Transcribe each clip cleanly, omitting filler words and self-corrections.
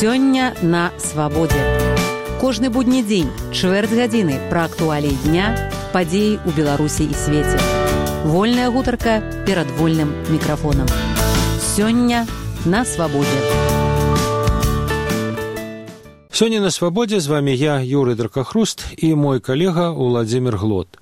Сёння на свабодзе. Кожны будні дзень, чвэрць гадзіны пра актуаліі дня, падзеі ў Беларусі і свеце. Вольная гутарка перад вольным мікрафонам. Сёння на свабодзе. Сёння на свабодзе з вами я, Юрый Дракахруст, і мой калега Уладзімір Глот.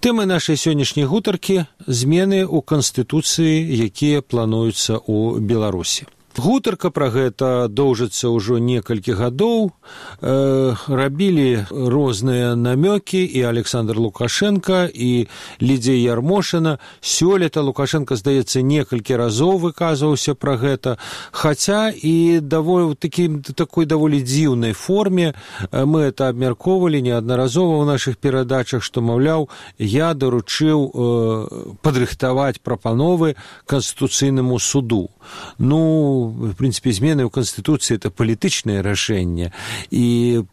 Тэмы нашай сённяшняй гутаркі – змены ў Канстытуцыі, якія плануюцца ў Беларусі. Гутарка пра гэта доўжыцца ўжо некалькі гадоў. Рабілі розныя намёкі і Александр Лукашенко, і Лідзія Ярмошына. Сёлета Лукашенко, здаецца, некалькі разоў выказваўся пра гэта, хаця і такой даволі дзіўнай форме. Мы это абмяркоўвалі неаднаразова ў нашых перадачах, што, маўляў, я даручыў падрыхтаваць прапановы Канстытуцыйнаму суду. В принципе, змены ў Канстытуцыі – это палітычнае рашэнне. І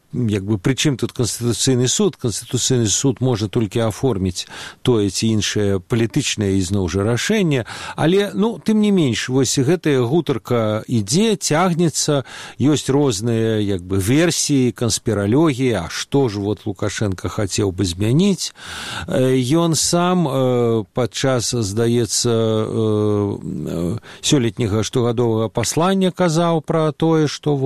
прычым тут Канстытуцыйны суд? Канстытуцыйны суд можа толькі аформіць тое ці іншае палітычнае ізноў жа рашэнне. Але, тым не менш, вось гэтая гутарка ідзе, цягнецца, ёсць розныя версіі, канспіралогіі, а што ж Лукашенко хацеў бы змяніць. Ён сам падчас, здаецца, сёлетняга штогадовага паслання казаў пра тое, што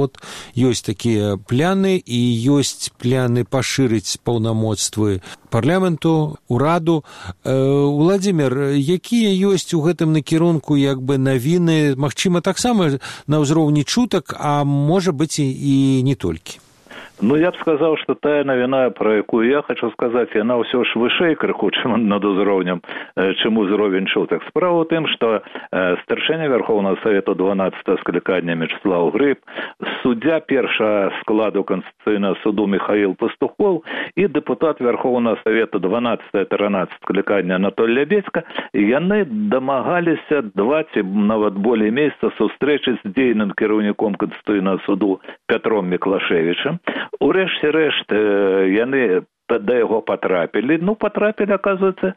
ёсць такія пляны і ёсць пляны пашырыць паўнамоцтвы парламенту, ураду. Уладзімір, якія ёсць у гэтым накірунку навіны, магчыма, таксама на ўзроўні чутак, а можа быць і не толькі? Я б сказаў, што тая навіна, пра якую я хочу сказаць, яна ўсё ж вышэй крыху, чым над узроўнем, чым узровень чутак. Справа ў тым, што старшыня Верховнага Савету 12-го склікання Мячеслав Грыб, суддзя першага складу Канстытуцыйнага суду Михаил Пастухов і дэпутат Верховнага Савету 12-13 склікання Анатолий Лябедзька, яны дамагаліся 2 ці нават болей месяца сустрэчы з дзейным кіраўніком Канстытуцыйнага суду Пятром Міклашевічам. Урэшце рэшт яны да яго патрапілі. Патрапілі, аказваецца,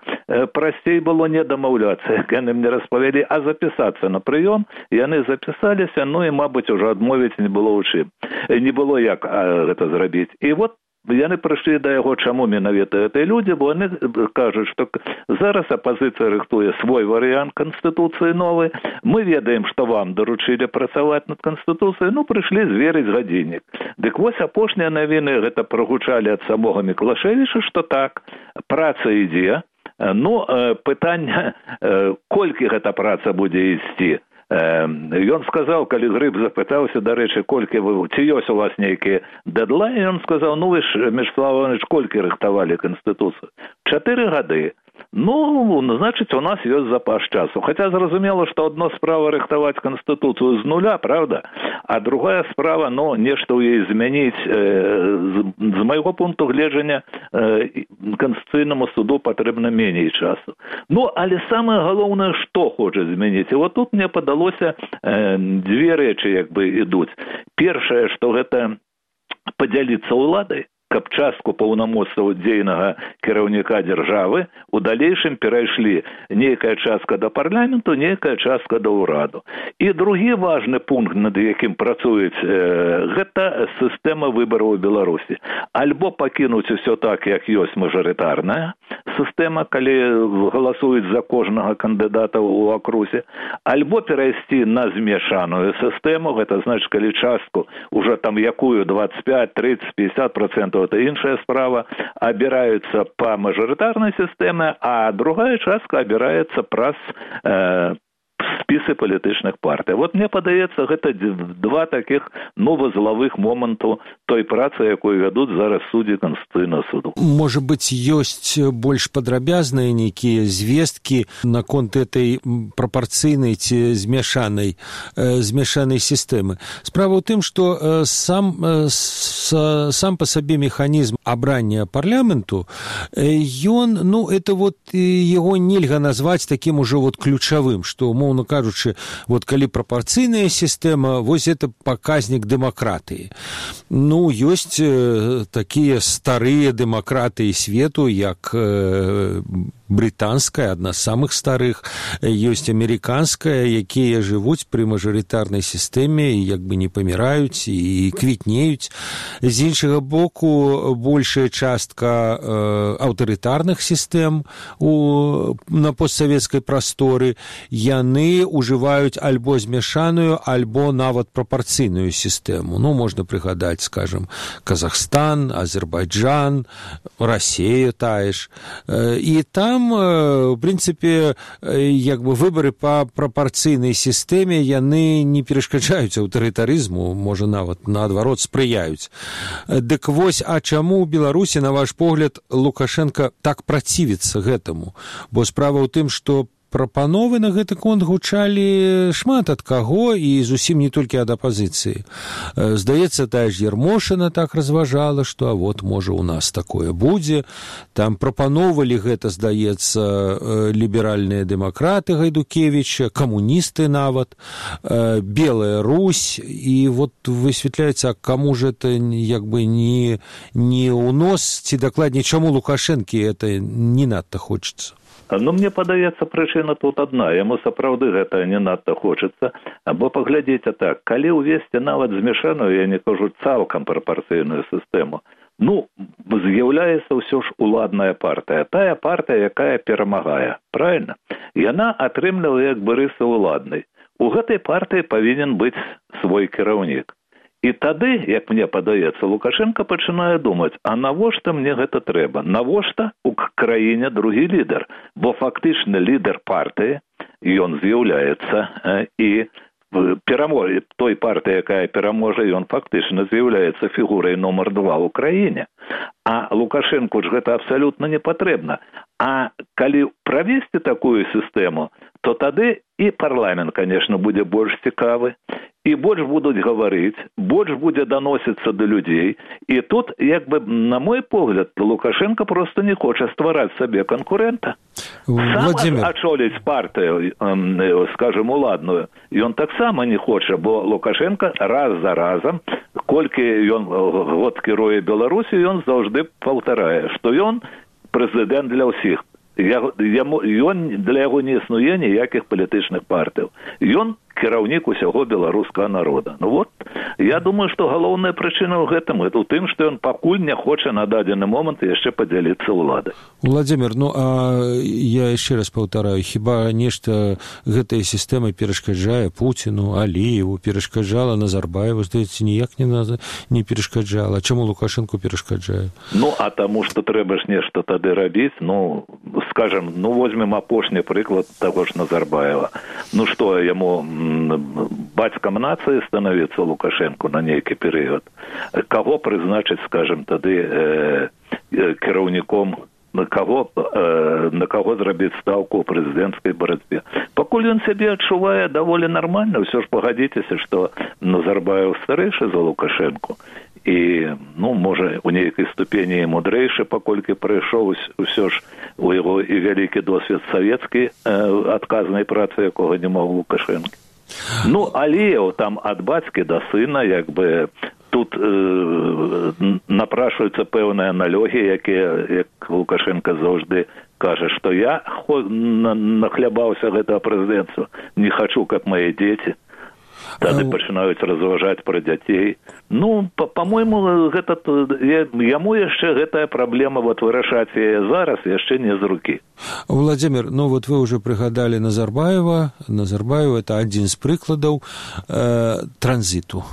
прасцей было не дамаўляцца, як яны мне распавялі, а запісацца на прыём. Яны запісаліся, і, мабыць, ужо адмовіць не было ў чым. Не было як гэта зрабіць. І яны прыйшлі да яго, чаму менавіта гэтыя людзі, бо яны кажуць, што зараз апазіцыя рыхтуе свой варыянт Канстытуцыі новы. Мы ведаем, што вам даручылі працаваць над Канстытуцыяй, прыйшлі зверыць гадзіннік. Дык вось апошнія навіны гэта прагучалі ад самога Міклашевіча, што так, праца ідзе. Пытанне, колькі гэта праца будзе ісці. Ён сказаў, калі Грыб запытаўся, дарэчы, ці ёсць у вас нейкія дэдлайны, ён сказаў, вы ж, Мячеслав Іванович, колькі рыхтавалі Канстытуцыю? 4 гады. Значыць, у нас ёсць запас часу. Хаця зразумела, што адно справа рыхтаваць Канстытуцыю з нуля, правда? А другая справа, нешта ў ёй змяніць. З майго пункту гледжання Канстытуцыйнаму суду патрэбна меней часу. Але самае галоўнае, што хоча змяніць. І тут мне падалося 2 рэчы ідуць. Першае, што гэта падзяліцца ўладай, каб частку паўнамоцтваў дзейнага кіраўніка дзяржавы у далейшым перайшлі нейкая частка да парламенту, нейкая частка да ўраду. І другі важны пункт, над якім працуюць, гэта сістэма выбараў у Беларусі. Альбо пакінуць усё так, як ёсць мажарытарная сістэма, калі галасуюць за кожнага кандыдата ў акрузе, альбо перайсці на змешаную сістэму, гэта значыць, калі частку уже якую 25, 30, 50% это іншая справа, абіраюцца па мажарытарнай сістэме, а другая частка абіраецца праз спісы палітычных партый. Мне падаецца, гэта 2 такіх вузлавых моманту той працы, якую вядуць зараз суддзі Канстытуцыйнага суду. Можа быць, ёсць больш падрабязныя нейкія звесткі наконт этой прапарцыйнай ці змяшанай сістэмы. Справа ў тым, што сам па сабе механізм абрання парламенту, ён, это яго нельга назваць такім ужо ключавым, што, умоўна кажучы, калі прапарцыйная сістэма, это паказнік дэмакратыі. Ёсць такія старыя дэмакратыі свету, як брытанская, адна з самых старых, ёсць амерыканская, якія жывуць пры мажарытарнай сістэме і як бы не паміраюць і квітнеюць. З іншага боку, большая частка аўтарытарных сістэм на постсавецкай прасторы, яны ўжываюць альбо змяшаную, альбо нават прапарцыйную сістэму. Ну, можна прыгадаць, скажем, Казахстан, Азербайджан, Расія тая ж. І там, в прынцыпе, як бы выбары па прапарцыйнай сістэме, яны не перашкаджаюць аўтарытарызму, можа, нават наадварот спрыяюць. Дык вось, а чаму ў Беларусі, на ваш погляд, Лукашенко так працівіцца гэтаму? Бо справа ў тым, што прапановы на гэты конт гучалі шмат ад каго і зусім не толькі ад апазіцыі. Здаецца, тая ж Ярмошына так разважала, што а вот, можа, у нас такое будзе. Там прапановалі гэта, здаецца, ліберальныя дэмакраты Гайдукевіча, камуністы нават, Белая Русь, і вот высвятляецца, каму ж это як бы не ў нос, ці дакладней, чаму Лукашэнкі это не надта хочацца? Ну, мне падаецца, прычына тут адна. Яму сапраўды гэта не надта хочацца. Бо паглядзіце так, калі ўвесці нават змяшаную, я не кажу цалкам прапарцыйную сістэму, ну, з'яўляецца ўсё ж уладная партыя. Тая партыя, якая перамагае. Правильно? Яна атрымлівае як бы рысы уладнай. У гэтай партыі павінен быць свой кіраўнік. І тады, як мне падаецца, Лукашенко пачынае думаць, а навошта мне гэта трэба? Навошта у краіне другі лідар? Бо фактычна лідар партыі, ён з'яўляецца і пераможа той партыі, якая пераможа, ён фактычна з'яўляецца фігурай нумар 2 ў краіне. А Лукашенку ж гэта абсалютна не патрэбна. А калі правесці такую сістэму, то тады і парламент, конечно, будзе больш цікавы, і больш будуць гаварыць, больш будзе даносіцца да людзей. І тут, як бы, на мой погляд, Лукашенко просто не хоча ствараць сабе канкурэнта. Сам ачоліць партыю, скажем, уладную, ён таксама не хоча, бо Лукашенко раз за разам, колькі ён год кіруе Беларусі, ён заўжды паўтарае, што ён прэзідэнт для ўсіх. Ён для яго не існуе ніякіх палітычных партыяў. Ён кіраўнік усяго беларускага народа. Ну вот, я думаю, што галоўная прычына ў гэтым, у тым, што ён пакуль не хоча на дадзены момант яшчэ падзяліцца ўладай. Владзімир, ну а я яшчэ раз паўтараю, хіба нешта гэтай сістэмы перашкаджае Пуціну, Аліеву, перашкаджала Назарбаеву, здаецца, ніяк не перашкаджала. Чаму Лукашенку перашкаджае? Ну, а таму, што трэба ж нешта тады рабіць, ну, скажем, ну, возьмем апошні прыклад таго ж Назарбаева. Ну, што, яму бацькам нацыі становіцца Лукашенко на нейкі перыяд. Каго прызначыць, скажем, тады кіраўніком, на каго зрабіць стаўку ў прэзідэнцкай барацьбе. Пакуль ён сябе адчувае даволі нармальна, ўсё ж пагадзіцеся, што Назарбаев старэйшы за Лукашенко. І, ну, можа, у нейкай ступені мудрэйшы, паколькі прыйшоў усё ж у яго і вялікі досвед савецкай адказнай працы, якога не мог Лукашенко. Ну, Аліеў там ад бацькі да сына, як бы, тут напрашваюцца пэўныя налёгі, якія, як Лукашенко заўжды кажа, што я нахлябаўся гэтага прэзідэнцтва, не хачу, каб мае дзеці. Тады пачынаюць разважаць пра дзяцей. Ну, па-мойму, гэта яму яшчэ гэтая праблема вот вырашаць яе зараз яшчэ не з рукі. Владзімир, ну вот вы уже прыгадалі Назарбаева. Назарбаев это адзін з прыкладаў транзіту.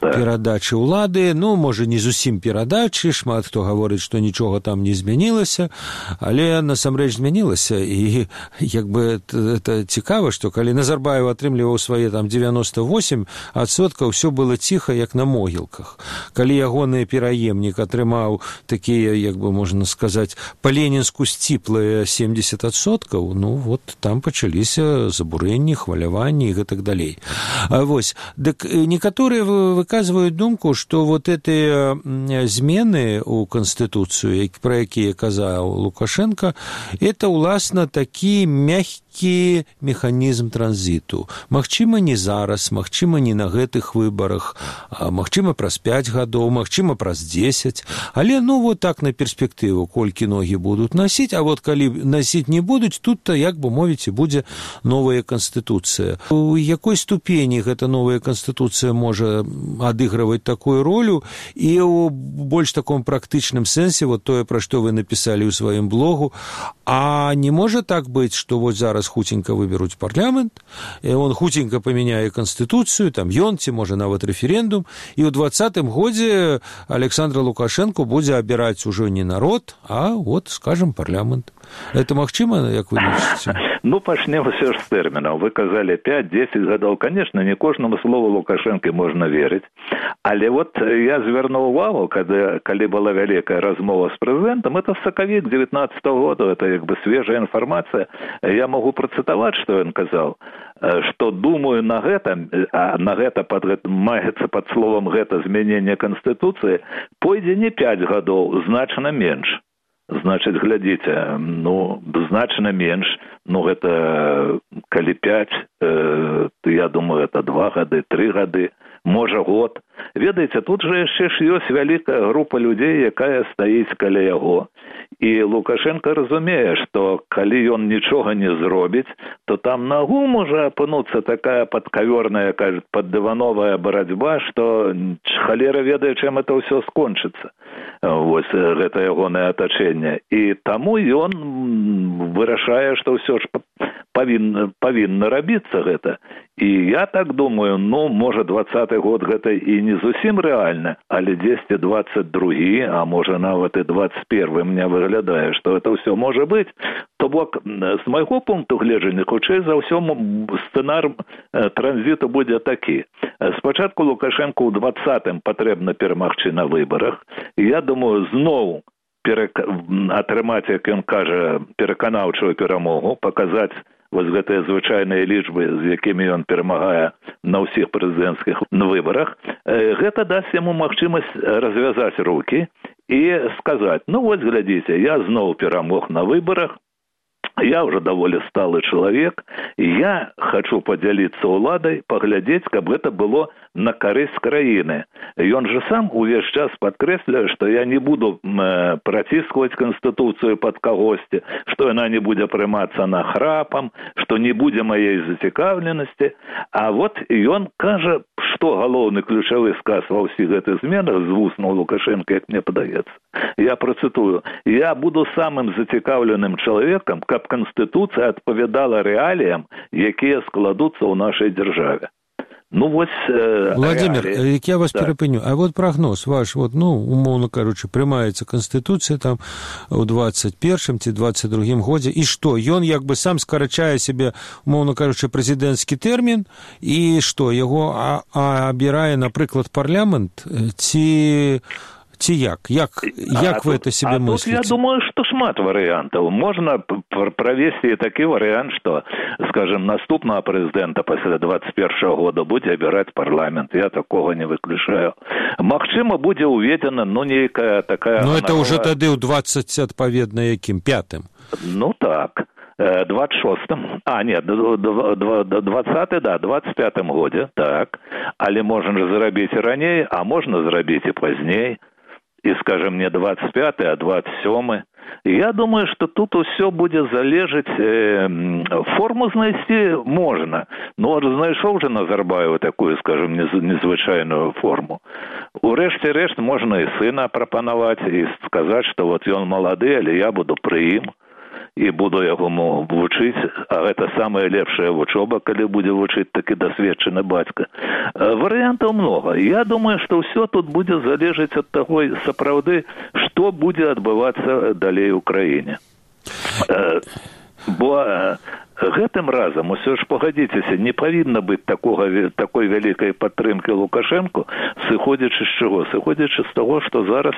Перадачы ўлады, ну, можа, не зусім перадачы, шмат хто гаворыць, што нічога там не змянілася, але насамрэч змянілася, і як бы это цікава, што калі Назарбаев атрымліваў свае там 98%, ўсё было ціха, як на могілках. Калі ягоны пераемнік атрымаў такія, як бы можна сказаць, па-ленінску сціплыя 70%, ну, вот там пачаліся забурэнні, хваляванні і гэтак далей. Вось, дык некаторыя выказывают думку, что вот эти змены у Конституцию, про якія казаў Лукашенко, это, уласна, такі мягкі механізм транзіту. Магчыма, не зараз, магчыма, не на гэтых выбарах, магчыма, праз 5 гадоў, магчыма, праз 10, але, ну, вот так на перспектыву, колькі ногі будуць насіць, а вот калі насіць не будуць, тут-то, як бы мовіць, будзе новая Конституцыя. У якой ступені гэта новая Конституцыя можа адыгрываць такую ролю, і ў больш таком практычным сэнсе, вот тое, пра што вы напісалі ў сваім блогу, а не можа так быць, што вот зараз хутенька выберуць парламент, і он хутенька памяняе Конституцыю, там ён, ці можа нават рэферэндум, і ў 20-м годзе Александр Лукашенко будзе абіраць ужо не народ, а вот, скажем, парламент. Это магчыма, як вы лічыце? Ну, пачнем все ж з тэрмінаў. Вы казалі 5-10 гадоў. Конечно, не кожнаму слову Лукашенко можна верыць. Але вот я звярнуў увагу, калі была вялікая размова з прэзідэнтам, это сакавік 19-го года, это як бы свежая інфармацыя. Я могу працытаваць, што ён казаў, што думаю на гэта, а на гэта маецца пад словам гэта змяненне Канстытуцыі, пойдзе не 5 гадоў, значна менш. Значыць, глядзіце, ну, значна менш, ну, гэта калі 5, то я думаю, это 2 гады, 3 гады, можа год. Ведаеце, тут жа яшчэ ж ёсць вялікая група людзей, якая стаіць каля яго. І Лукашенко разумее, што калі ён нічога не зробіць, то там нагу можа апынуцца такая падкаверная, кажуць, паддывановая барацьба, што халера ведае, чым это ўсё скончыцца. Вось гэта ягонае атачэнне. І таму ён вырашае, што ўсё ж павінна рабіцца гэта. І я так думаю, ну, можа, 20-й год гэта і не зусім рэальна, але 10-22, а можа, нават і 21, мне выглядае, што это ўсё можа быць. То бок, з майго пункту гледжання, хутчэй за ўсё, сцэнар транзіту будзе такі. Спачатку Лукашенко ў 20-м патрэбна перамагчы на выбарах. Я думаю, зноў атрымаць, як ён кажа, пераканаўчую перамогу, паказаць вось гэтыя звычайныя лічбы, з якімі ён перамагае на ўсіх прэзідэнцкіх выбарах, гэта дасць яму магчымасць развязаць рукі і сказаць, ну вось глядзіце, я зноў перамог на выбарах, я уже даволі сталы чалавек, я хочу падзяліцца ўладай, паглядзець, каб гэта было на карысць краіны. Ён же сам увесь час падкрэсляе, што я не буду праціскваць Канстытуцыю пад кагосьці, што яна не будзе прымацца нахрапам, што не будзе маей зацікаўленасці. А вот ён кажа, што галоўны ключавы сказ ва ўсіх гэтых зменах з вуснаў Лукашенка, як мне падаецца. Я працытую. Я буду самым зацікаўленым чалавекам, каб Конституция адпавядала рэаліям, якія складуцца ў нашай дзяржаве. Ну, вось... Владимир, я вас перапыню. А вот прогноз ваш, вот, ну, умоўно, кажучы, прымаецца Конституцыя там у 21-м ці 22-м годзе, і што? Ён як бы сам скарачае себе, умоўно кажучы, прэзідэнцкі тэрмін, і што, яго абірае, напрыклад, парламент, ці як? Як вы это себе мыслите? Тут я думаю, что шмат варыянтаў. Можна правесці такі варыянт, што, скажем, наступнага прэзідэнта пасля 21-го года будзе абіраць парламент. Я такога не выключаю. Магчыма, будзе уведзена, ну, нейкая такая... Ну, это уже тады ў 20, адпаведна, якім? 5-м? Ну, так. 26-м, 20-й, да, 25-м годзе, так. Але можна зрабіць і раней, а можна зрабіць і пазней. І, скажем, не 25-й, а 27-й. Я думаю, что тут все будет залежать, форму знайсці можна. Ну, вот знайшоў же Назарбаева такую, скажем, незвычайную форму. Урэшце рэшт можна і сына прапанаваць, і сказаць, што вот ён малады, але я буду пры ім. І буду яго вучыць, а гэта самая лепшая вучоба, калі будзе вучыць такі дасведчаны бацька. Варыянтаў многа. Я думаю, што ўсё тут будзе залежаць ад таго, сапраўды, што будзе адбывацца далей у краіне. Бо гэтым разам усё ж пагадзіцеся, не павінна быць такой вялікай падтрымкі Лукашэнку, сыходзячы з чаго? Сыходзячы з таго, што зараз,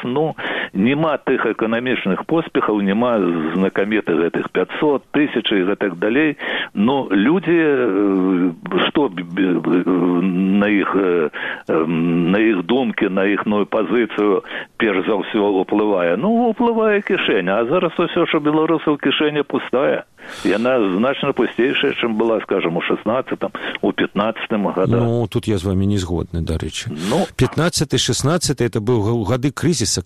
нема тых эканамічных поспехаў, нема знакамітых гэтых 500, 1000 і гэтак далей. Людзі, што на іх думкі, на іхную пазіцыю перш за ўсё ўплывае? Ўплывае кішэня, а зараз усё, што беларусаў кішэня пустая. Яна значна пустейшая, чым была, скажем, у 16-м, у 15-м годах. Тут я з вами не згодны, дарэчы. 15-й, 16-й, это быў гады крызіса,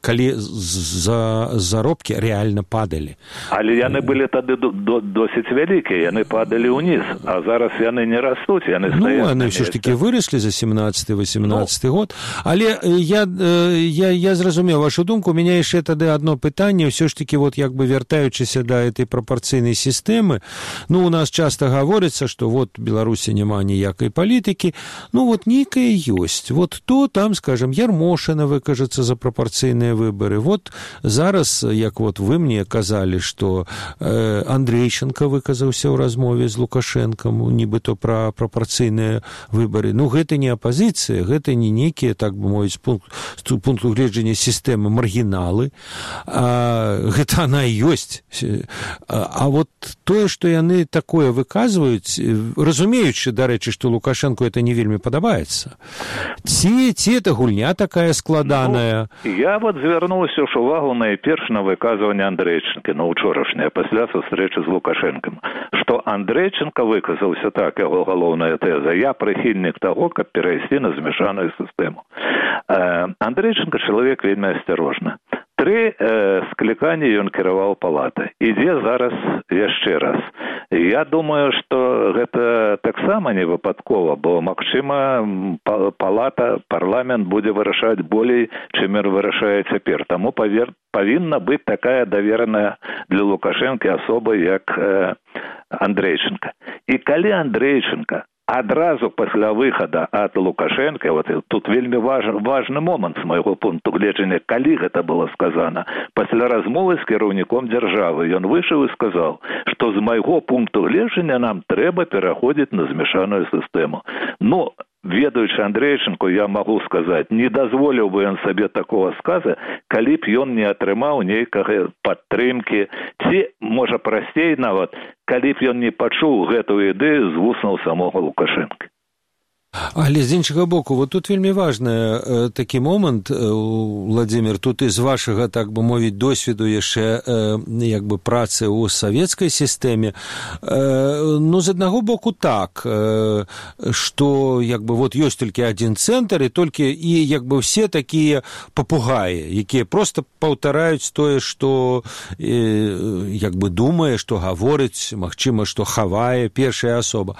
калі заробкі рэальна падалі. Але яны былі тады досыць вялікія, яны падалі ўніз, а зараз яны не растуць, яны стаяць. Яны ўсё ж такі выраслі за 17-18 год. Але я зразумеў вашу думку, у мяне яшчэ тады адно пытанне, ўсё ж такі вяртаючыся да этой прапорцыйнай сістэмы, у нас часта гаворыцца, што Беларусі няма ніякай палітыкі, нейкая ёсць. То там, скажем, Ярмошына выкажацца за прапорцыйныя выборы. Зараз, як вы мне казалі, што Андрейченко выказаўся ў размове з Лукашэнкам, нібыто пра прапорцыйныя выборы. Гэта не апазіцыя, гэта не нейкія, так бы мовіць, з пункту гледжання сістэмы маргіналы. Гэта она і ёсць. А тое, што яны такое выказваюць, разумеючы, дарэчы, што Лукашэнку это не вельмі падабаецца. Ці это гульня такая складаная? Я звярнуўся ж увагу найперш на выказванне Андрейченка, учорашняе, пасля сустрэчы з Лукашэнкам, што Андрейченка выказаўся так, яго галоўная тэза: я прыхільнік таго, каб перайсці на змяшаную сістэму. Андрейченка чалавек вельмі асцярожны. 3 скліканні ён кіраваў палатай. Ідзе зараз яшчэ раз. Я думаю, што гэта таксама не выпадкова, бо, магчыма, парламент будзе вырашаць болей, чым вырашае цяпер. Таму павінна быць такая давераная для Лукашэнкі асоба, як Андрейченка. І калі Андрейченка адразу пасля выхада ад Лукашэнка, тут вельмі важны момант з майго пункту гледжання, калі гэта было сказана. Пасля размовы з кіраўніком дзяржавы ён выйшаў і сказаў, што з майго пункту гледжання нам трэба пераходзіць на змяшаную сістэму. Ведаючы Андрейченку, я магу сказаць, не дазволіў бы ён сабе такого сказа, калі б ён не атрымаў нейкага падтрымкі, ці, можа, прасцей нават, калі б ён не пачуў гэтую ідэю з вуснаў самога Лукашэнка. Але з іншага боку, тут вельмі важны такі момант, Владзімір, тут і з вашага, так бы мовіць, досведу яшчэ працы ў савецкай сістэме. З аднаго боку так, што ёсць толькі адзін цэнтр, і толькі все такія папугаі, якія проста паўтараюць тое, што думае, што гаворыць, магчыма, што хавае першая асоба.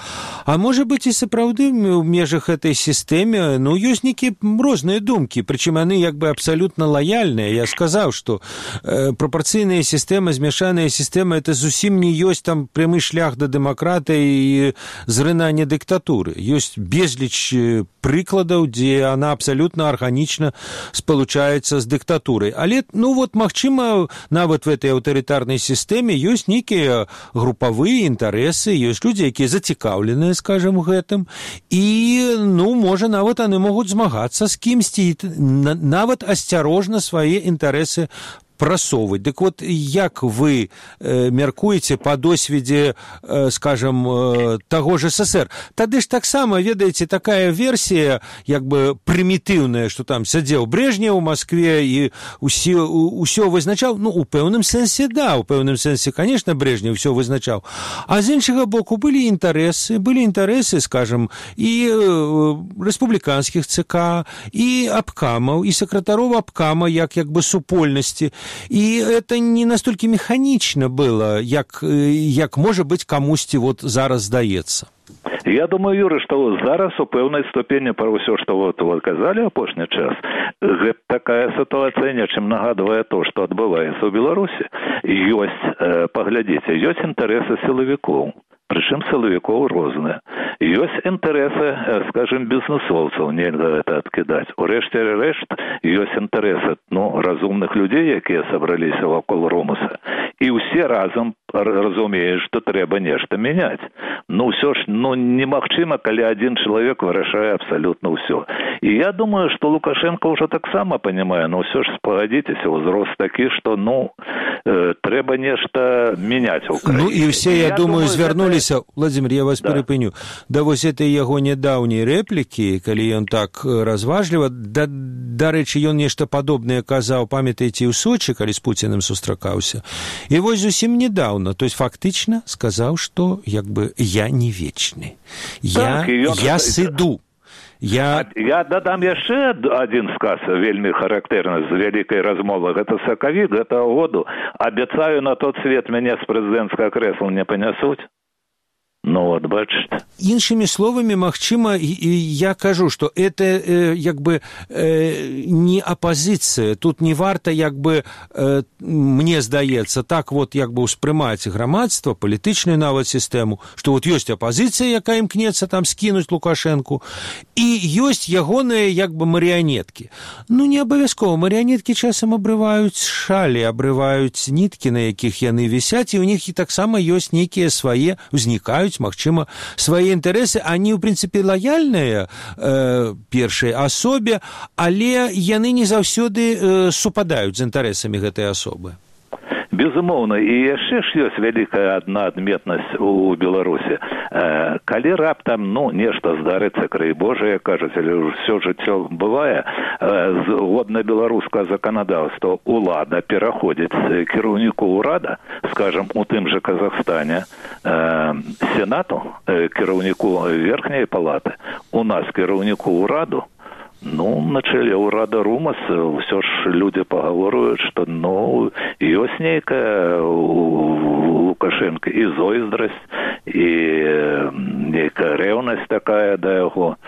А можа быць і сапраўды ў межах этой сістэме, ёсць нейкія розныя думкі, прычым яны абсалютна лаяльныя. Я сказаў, што прапорцыйная сістэма, змяшаная сістэма, это зусім не ёсць там прямы шлях да дэмакратыі і зрынання дыктатуры. Ёсць безліч прыкладаў, дзе она абсалютна арганічна спалучаецца з дыктатурай. Але, магчыма, нават в этой аўтарытарнай сістэме ёсць нейкія групавыя інтарэсы, ёсць людзі, якія зацікаўленыя, скажам, гэтым, і можа, нават яны могуць змагацца з кімсьці, нават асцярожна свае інтарэсы прасоўваць. Дык як вы мяркуеце па досведзе, скажам, таго ж СССР? Тады ж таксама, ведаеце, такая версія, прымітыўная, што там сядзеў Брежнев у Маскве і ўсё вызначаў. У пэўным сэнсе, да, у пэўным сэнсе, конечно, Брежнев ўсё вызначаў. А з іншага боку, былі інтарэсы, скажам, і рэспубліканскіх ЦК, і абкамаў, і сакратароў абкама, як супольнасці. І это не настолькі механічна было, як можа быць камусьці зараз здаецца. Я думаю, Юры, што зараз у пэўнай ступені пра ўсё, што вы казалі апошні час, гэта такая сітуацыя нечым нагадвае то, што адбываецца ў Беларусі. Паглядзіце, ёсць інтарэсы сілавікоў. Прычым сілавікоў розныя. Ёсць інтарэсы, скажем, бізнесоўцаў, нельга гэта адкідаць. Урэшце рэшт, ёсць інтарэсы разумных людзей, якія сабраліся вакол Ромуса. І ўсе разам разумею, што трэба нешта мяняць. Ўсё ж, немагчыма, калі адзін чалавек вырашае абсалютна ўсё. І я думаю, што Лукашенко ўжо таксама панимае, ўсё ж спагадзіцеся, узрост такі, што, трэба нешта мяняць у краіне. І все, я думаю, звярнуліся, Владимир, я вас перапыню, да вось этой яго нядаўняй рэплікі, калі ён так разважліва, дарэчы, ён нешта падобнае казаў, памятаеце, ў Сочы, калі з Пуціным сустракаўся. І вось зусім недавно, то есть фактычна сказаў, што я не вечны. Я сыду. Я дадам яшчэ адзін сказ, вельмі характэрны, з вялікай размовы. Гэта сакавік гэтага году. Абяцаю, на тот свет мяне з прэзідэнцкага крэсла не панясуць. Бачыце. Іншымі словамі, магчыма, я кажу, што это не апазіцыя. Тут не варта, мне здаецца, так ўспрымаць грамадства, палітычную нават сістэму, што ёсць апазіцыя, якая імкнецца там скінуць Лукашэнку, і ёсць ягоныя марыянеткі. Не абавязкова. Марыянеткі часам абрываюць шалі, абрываюць ніткі, на якіх яны вісяць, і ў них і таксама ёсць нейкія свае, узнікаюць, магчыма, свае інтарэсы, они, ў прынцыпе, лаяльныя першай асобе, але яны не заўсёды супадаюць з інтарэсамі гэтай асобы. Безумоўна, і яшчэ ж ёсць вялікая адна адметнасць у Беларусі. Калі раптам, нешта здарыцца, край Божа, як кажуць, але ўсё жыццё бывае, згодна беларускага заканадаўства, улада пераходзіць з кіраўніку ўрада, скажам, у тым жа Казахстане, сенату, кіраўніку верхняй палаты, у нас кіраўніку ўраду, на чэле ўрада РУМАС ўсё ж людзі пагаворваюць, што ёсць нейкая у Лукашенка і зойздрасць, і нейкая рэўнасць такая да яго.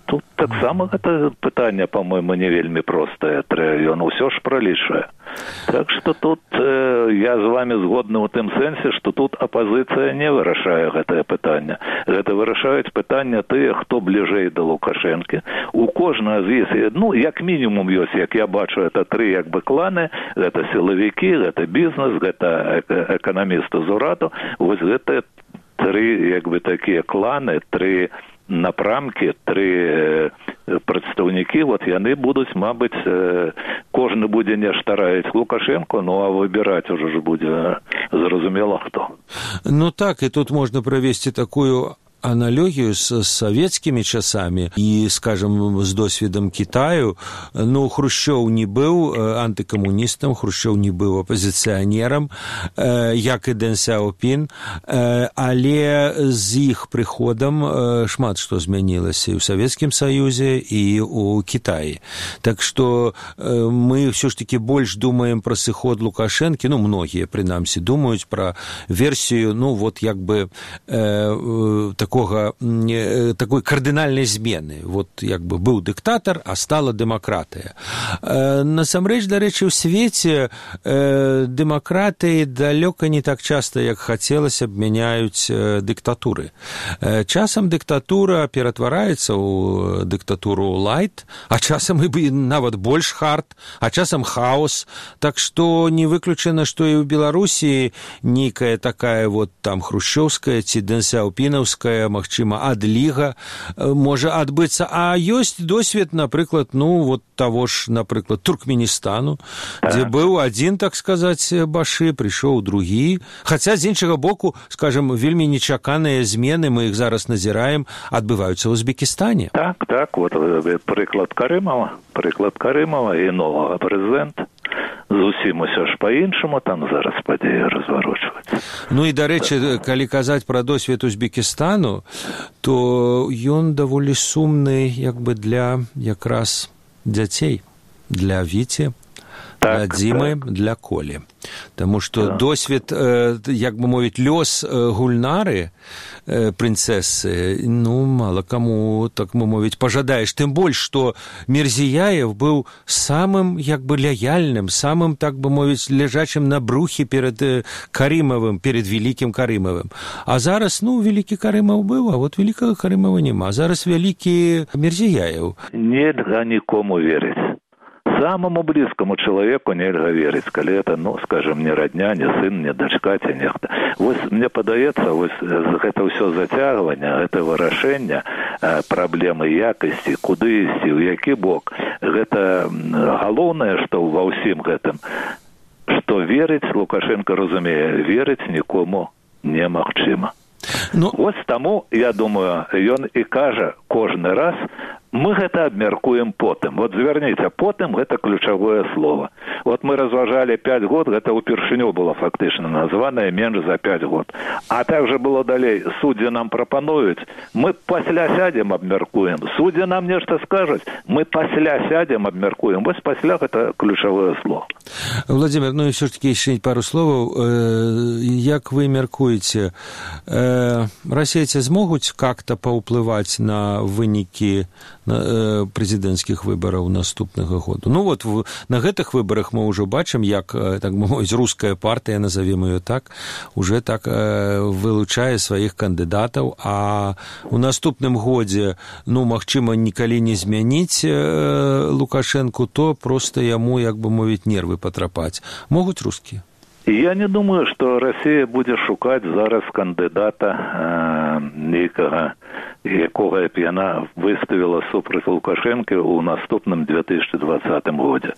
Тут таксама гэта пытанне, па-мойму, не вельмі простае. Ён ўсё ж пралічвае. Так што тут я з вами згодны ў тым сэнсе, што тут апазіцыя не вырашае гэтае пытанне. Гэта вырашаюць пытанне тыя, хто бліжэй да Лукашэнкі. У кожнага з іх, як мінімум ёсць, як я бачу, это тры кланы, гэта сілавікі, гэта бізнес, гэта эканамісты з ураду. Вось гэта тры такія кланы, тры напрамкі, тры прадстаўнікі, яны будуць, мабыць, кожны будзе нешта раіць Лукашенко, а выбіраць ужо ж будзе зразумела хто. Так, і тут можна правесці такую аналогію з савецкімі часамі і, скажем, з досведам Китаю. Хрушчоў не быў антыкамуністам, Хрушчоў не быў апазіцыянерам, як і Дэн Сяопін, але з іх прыходам шмат што змянілася і ў Савецкім Саюзе, і ў Кітаі. Так што мы ўсё ж такі больш думаем пра сыход Лукашэнкі, многія, прынамсі, думаюць пра версію, такой кардынальнай змены. Быў дыктатар, а стала дэмакратыя. Насамрэч, дарэчы, у свеце дэмакратыі далёка не так часта, як хацелася б, мяняюць дыктатуры. Часам дыктатура ператвараецца ў дыктатуру лайт, а часам і нават больш хард, а часам хаос. Так што не выключана, што і ў Беларусі нейкая такая там хрушчоўская ці дэнсяопінаўская, магчыма, адліга можа адбыцца. А ёсць досвед, напрыклад, таго ж, напрыклад, Туркменістану, дзе быў адзін, так сказаць, башы, прыйшоў другі. Хаця, з іншага боку, скажем, вельмі нечаканыя змены, мы іх зараз назіраем, адбываюцца ў Узбекістане. Так, прыклад Карымова і новага прэзідэнта. Зусім усё ж па-іншаму там зараз падзеі разварочваюцца. І, дарэчы, калі казаць пра досвед Узбекістану, то ён даволі сумны для якраз дзяцей, для Віці, для Дзімы, для Колі. Таму што досвед, лёс Гульнары, прынцэсы, мала каму, так мовіць, пажадаеш. Тым больш, што Мірзіяев быў самым, лаяльным, самым, так бы мовіць, ляжачым на брухе перад Карымавым, перед вялікім Карымавым. А зараз, вялікі Карымаў быў, а вялікага Карымава няма. Зараз вялікі Мірзіяев. Нельга нікому верыць. самому близкому человеку нельга верить, коли это, ну, скажем, не родня, не сын, не дочка, ці нехта. Вось, мне падаецца, вось, гэта ўсё зацягванне, гэта вырашэнне праблемы якасці, куды ісці, ў які бок. Гэта галоўнае, што ва ўсім гэтым, што верыць, Лукашенко разумее, верыць нікому немагчыма. Вось таму, я думаю, ён і кажа кожны раз, мы гэта абмяркуем потым. Вот звярніце, потым гэта ключавое слово. Вот мы разважалі 5 год, гэта ўпершыню было фактычна названае менш за 5 год. А так же было далей, суддзі нам прапануюць, мы пасля сядзем абмяркуем. Суддзі нам нешта скажуць, мы пасля сядзем абмяркуем. Вось пасля гэта ключавое слово. Владимир, ну и все-таки еще пару слов. Як вы мяркуеце, расейцы змогуць как-то паўплываць на вынікі прэзідэнцкіх выбараў наступнага году? Ну вот на гэтых выбарах мы ўжо бачым, як, так мовіць, руская партыя, назовем ее так, уже так вылучае сваіх кандыдатаў, а у наступным годзе, ну, магчыма, нікалі не змяніць Лукашенку, то просто яму, як бы мовіць, нервы патрапаць. Могуць рускія? Я не думаю, што Расія будзе шукаць зараз кандыдата нейкага, якога б яна выставіла супраць Лукашенко ў наступным 2020 годзе.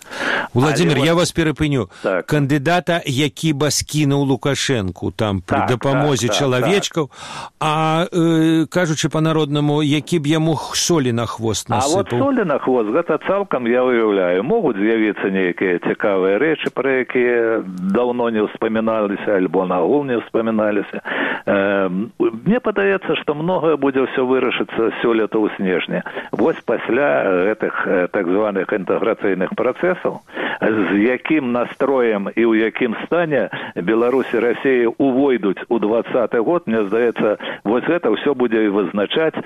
Владимир, я вас перапыню. Так. Кандыдата, які бы скінуў Лукашенку там пры дапамозе чалавечкаў, а кажучы па-народнаму, які б яму солі на хвост насыпаў. А вот солі на хвост, гэта цалкам я уяўляю. Могуць з'явіцца нейкія цікавыя рэчы, пра якія даўно не ўспаміналіся, альбо нагул не ўспаміналіся. Мне падаецца, што многае будзе ўсё вырашыцца сёлета ў снежні. Вось пасля гэтых так званых інтэграцыйных працэсаў, з якім настроем і ў якім стане Беларусь і Расія увойдуць у 2020 год, мне здаецца, вось гэта ўсё будзе вызначаць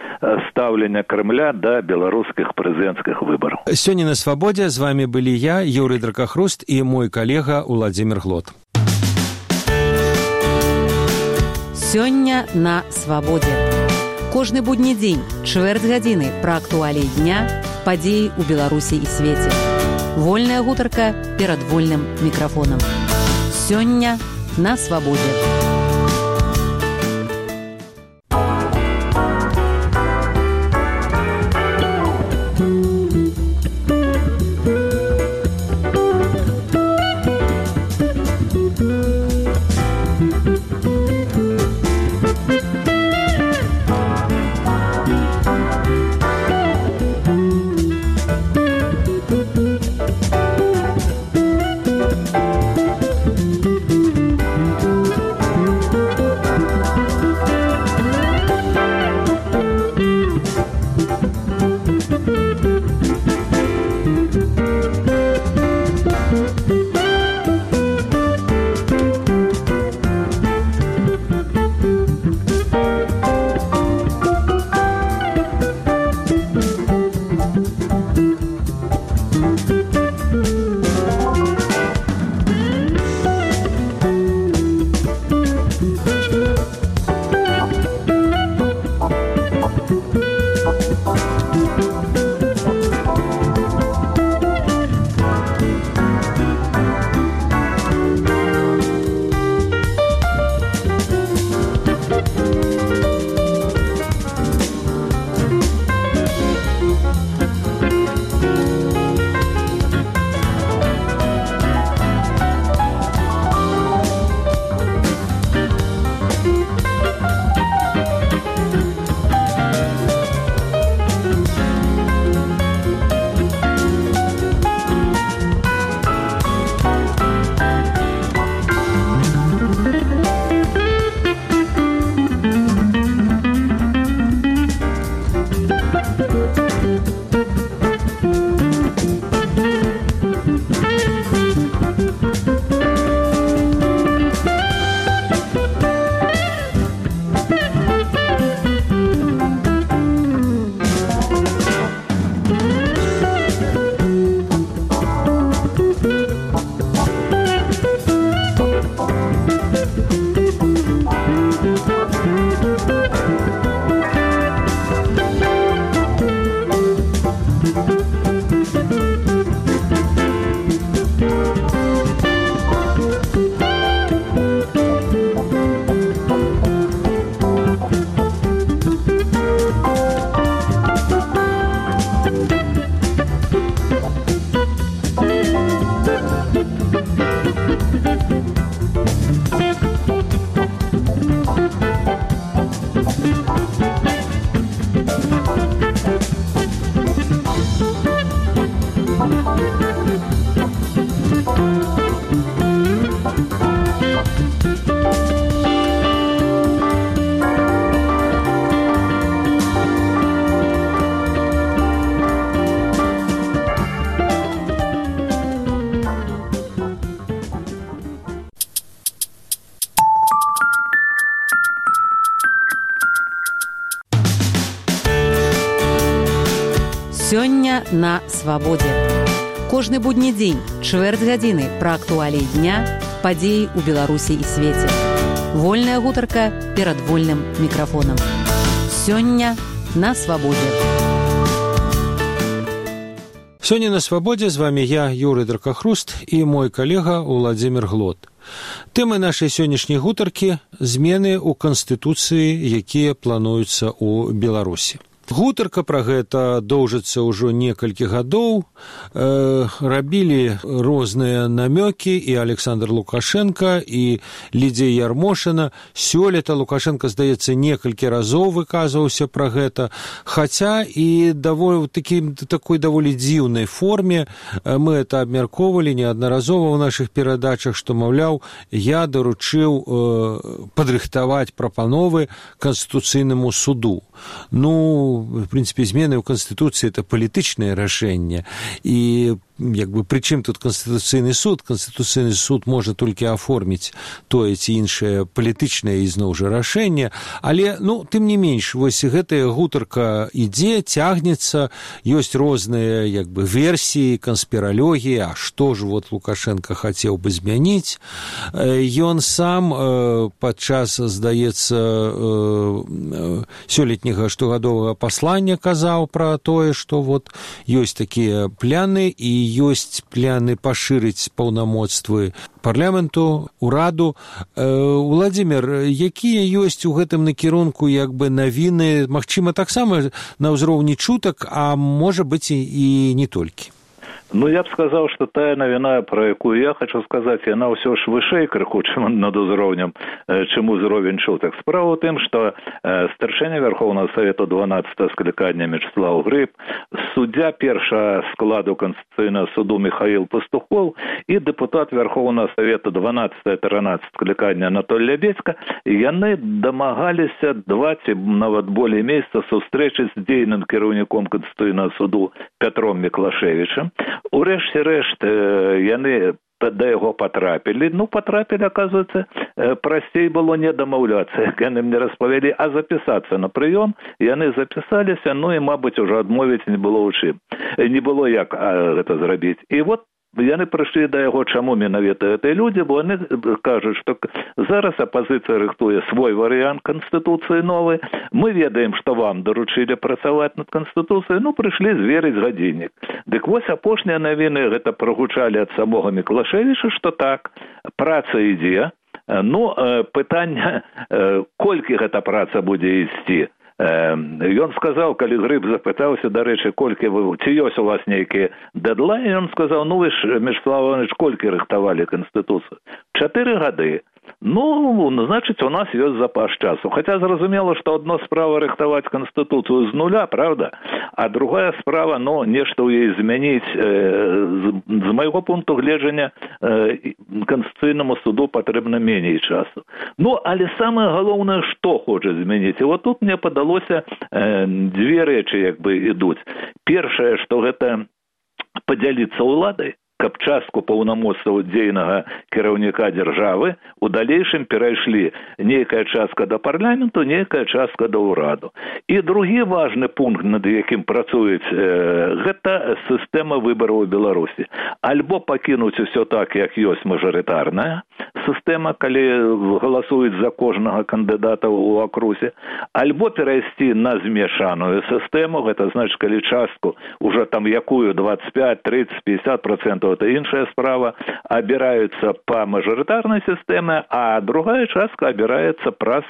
стаўленне Кремля да беларускіх прэзідэнцкіх выбараў. Сёння на Свабодзе з вами былі я, Юрый Дракахруст, і мой калега Владимир Глот. Сёння на Свабодзе. Кожны будні дзень, чвэрць гадзіны пра актуаліі дня, падзеі ў Беларусі і свеце. Вольная гутарка перад вольным мікрафонам. Сёння на Свабодзе. на свабодзе. Кожны будні дзень, чвэрць гадзіны пра актуаліі дня, падзеі ў Беларусі і свеце. Вольная гутарка перад вольным мікрафонам. Сёння на свабодзе. Сёння на свабодзе з вами я, Юрый Дракахруст, і мой калега Уладзімір Глот. Тэмы нашай сённяшняй гутаркі – змены ў Канстытуцыі, якія плануюцца ў Беларусі. Гутарка пра гэта доўжыцца ўжо некалькі гадоў. Рабілі розныя намёкі і Александр Лукашенко, і Лідзія Ярмошына. Сёлета Лукашенко, здаецца, некалькі разоў выказваўся пра гэта, хаця і такой даволі дзіўнай форме. Мы это абмяркоўвалі неаднаразова ў нашых перадачах, што, маўляў, я даручыў падрыхтаваць прапановы Канстытуцыйнаму суду. В принципе, змены ў Канстытуцыі – это палітычнае рашэнне. І прычым тут Канстытуцыйны суд? Канстытуцыйны суд можа толькі аформіць тое ці іншае палітычнае ізноў жа рашэнне. Але, тым не менш, вось гэтая гутарка ідзе, цягнецца, ёсць розныя версіі, канспіралогіі, а што ж Лукашенко хацеў бы змяніць. Ён сам падчас, здаецца, сёлетняга штогадовага паслання казаў пра тое, што ёсць такія пляны і ёсць пляны пашырыць паўнамоцтвы парламенту, ураду. Уладзімір, якія ёсць у гэтым накірунку навіны, магчыма, таксама на ўзроўні чутак, а можа быць і не толькі? Я б сказаў, што тая навіна, пра якую я хочу сказаць, яна ўсё ж вышэй крыху, чым над узроўнем, чым узровень чутак. Справа ў тым, што старшыня Верховного Совету 12-го склікання Мячеслав Гриб, суддзя першага складу Конституцыйнага суду Михаил Пастухов і дэпутат Верховного Совету 12-13 склікання Анатолий Лябедзька, яны дамагаліся 2 ці нават болей месяца сустрэчы з дзейным кіраўніком Конституцыйнага суду Пятром Міклашевічем. Урэшце рэшт яны да яго патрапілі. Патрапілі, оказывается, прасцей было не дамаўляцца, як яны мне распавялі, а запісацца на прыём. Яны запісаліся, і, мабыць, ужо адмовіць не было ў чым. Не было як гэта зрабіць. І яны прыйшлі да яго, чаму менавіта гэтыя людзі, бо яны кажуць, што зараз апазіцыя рыхтуе свой варыянт Канстытуцыі новы. Мы ведаем, што вам даручылі працаваць над Канстытуцыяй, прыйшлі зверыць гадзіннік. Дык вось апошнія навіны гэта прагучалі ад самога Міклашевіча, што так, праца ідзе. Пытанне, колькі гэта праца будзе ісці. Ён сказаў, калі Грыб запытаўся, дарэчы, ці ёсць у вас нейкі дэдлайн, ён сказаў, вы ж, Мячеслав Іванович, колькі рыхтавалі Канстытуцыю? 4 гады. Значыць, у нас ёсць запас часу. Хаця зразумела, што адно справа рыхтаваць Канстытуцыю з нуля, правда? А другая справа, нешта ў яе змяніць. З майго пункту гледжання Канстытуцыйнаму суду патрэбна меней часу. Але самае галоўнае, што хоча змяніць. І тут мне падалося 2 рэчы ідуць. Першае, што гэта падзяліцца ўладай, каб частку паўнамоцтваў дзейнага кіраўніка дзяржавы у далейшым перайшлі нейкая частка да парламенту, нейкая частка да ўраду. І другі важны пункт, над якім працуюць, гэта сістэма выбараў у Беларусі. Альбо пакінуць усё так, як ёсць мажарытарная сістэма, калі галасуюць за кожнага кандыдата ў акрузе, альбо перайсці на змешаную сістэму, гэта значыць, калі частку уже якую 25, 30, 50% это іншая справа, абіраюцца па мажарытарнай сістэме, а другая частка абіраецца праз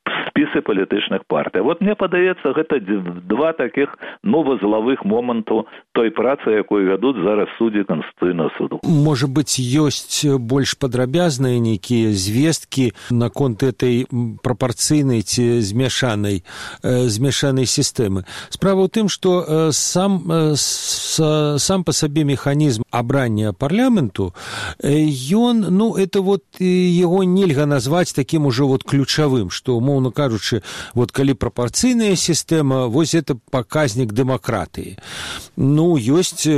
спісы палітычных партый. Мне падаецца, гэта 2 такіх вузлавых моманту той працы, якую вядуць зараз суддзі Канстытуцыйнага суду. Можа быць, ёсць больш падрабязныя нейкія звесткі наконт этой прапарцыйнай ці змяшанай сістэмы. Справа ў тым, што сам па сабе механізм абрання парламенту, ён, это яго нельга назваць такім ужо ключавым, што, умоўна кажучы, калі прапарцыйная сістэма, это паказнік дэмакратыі. Ёсць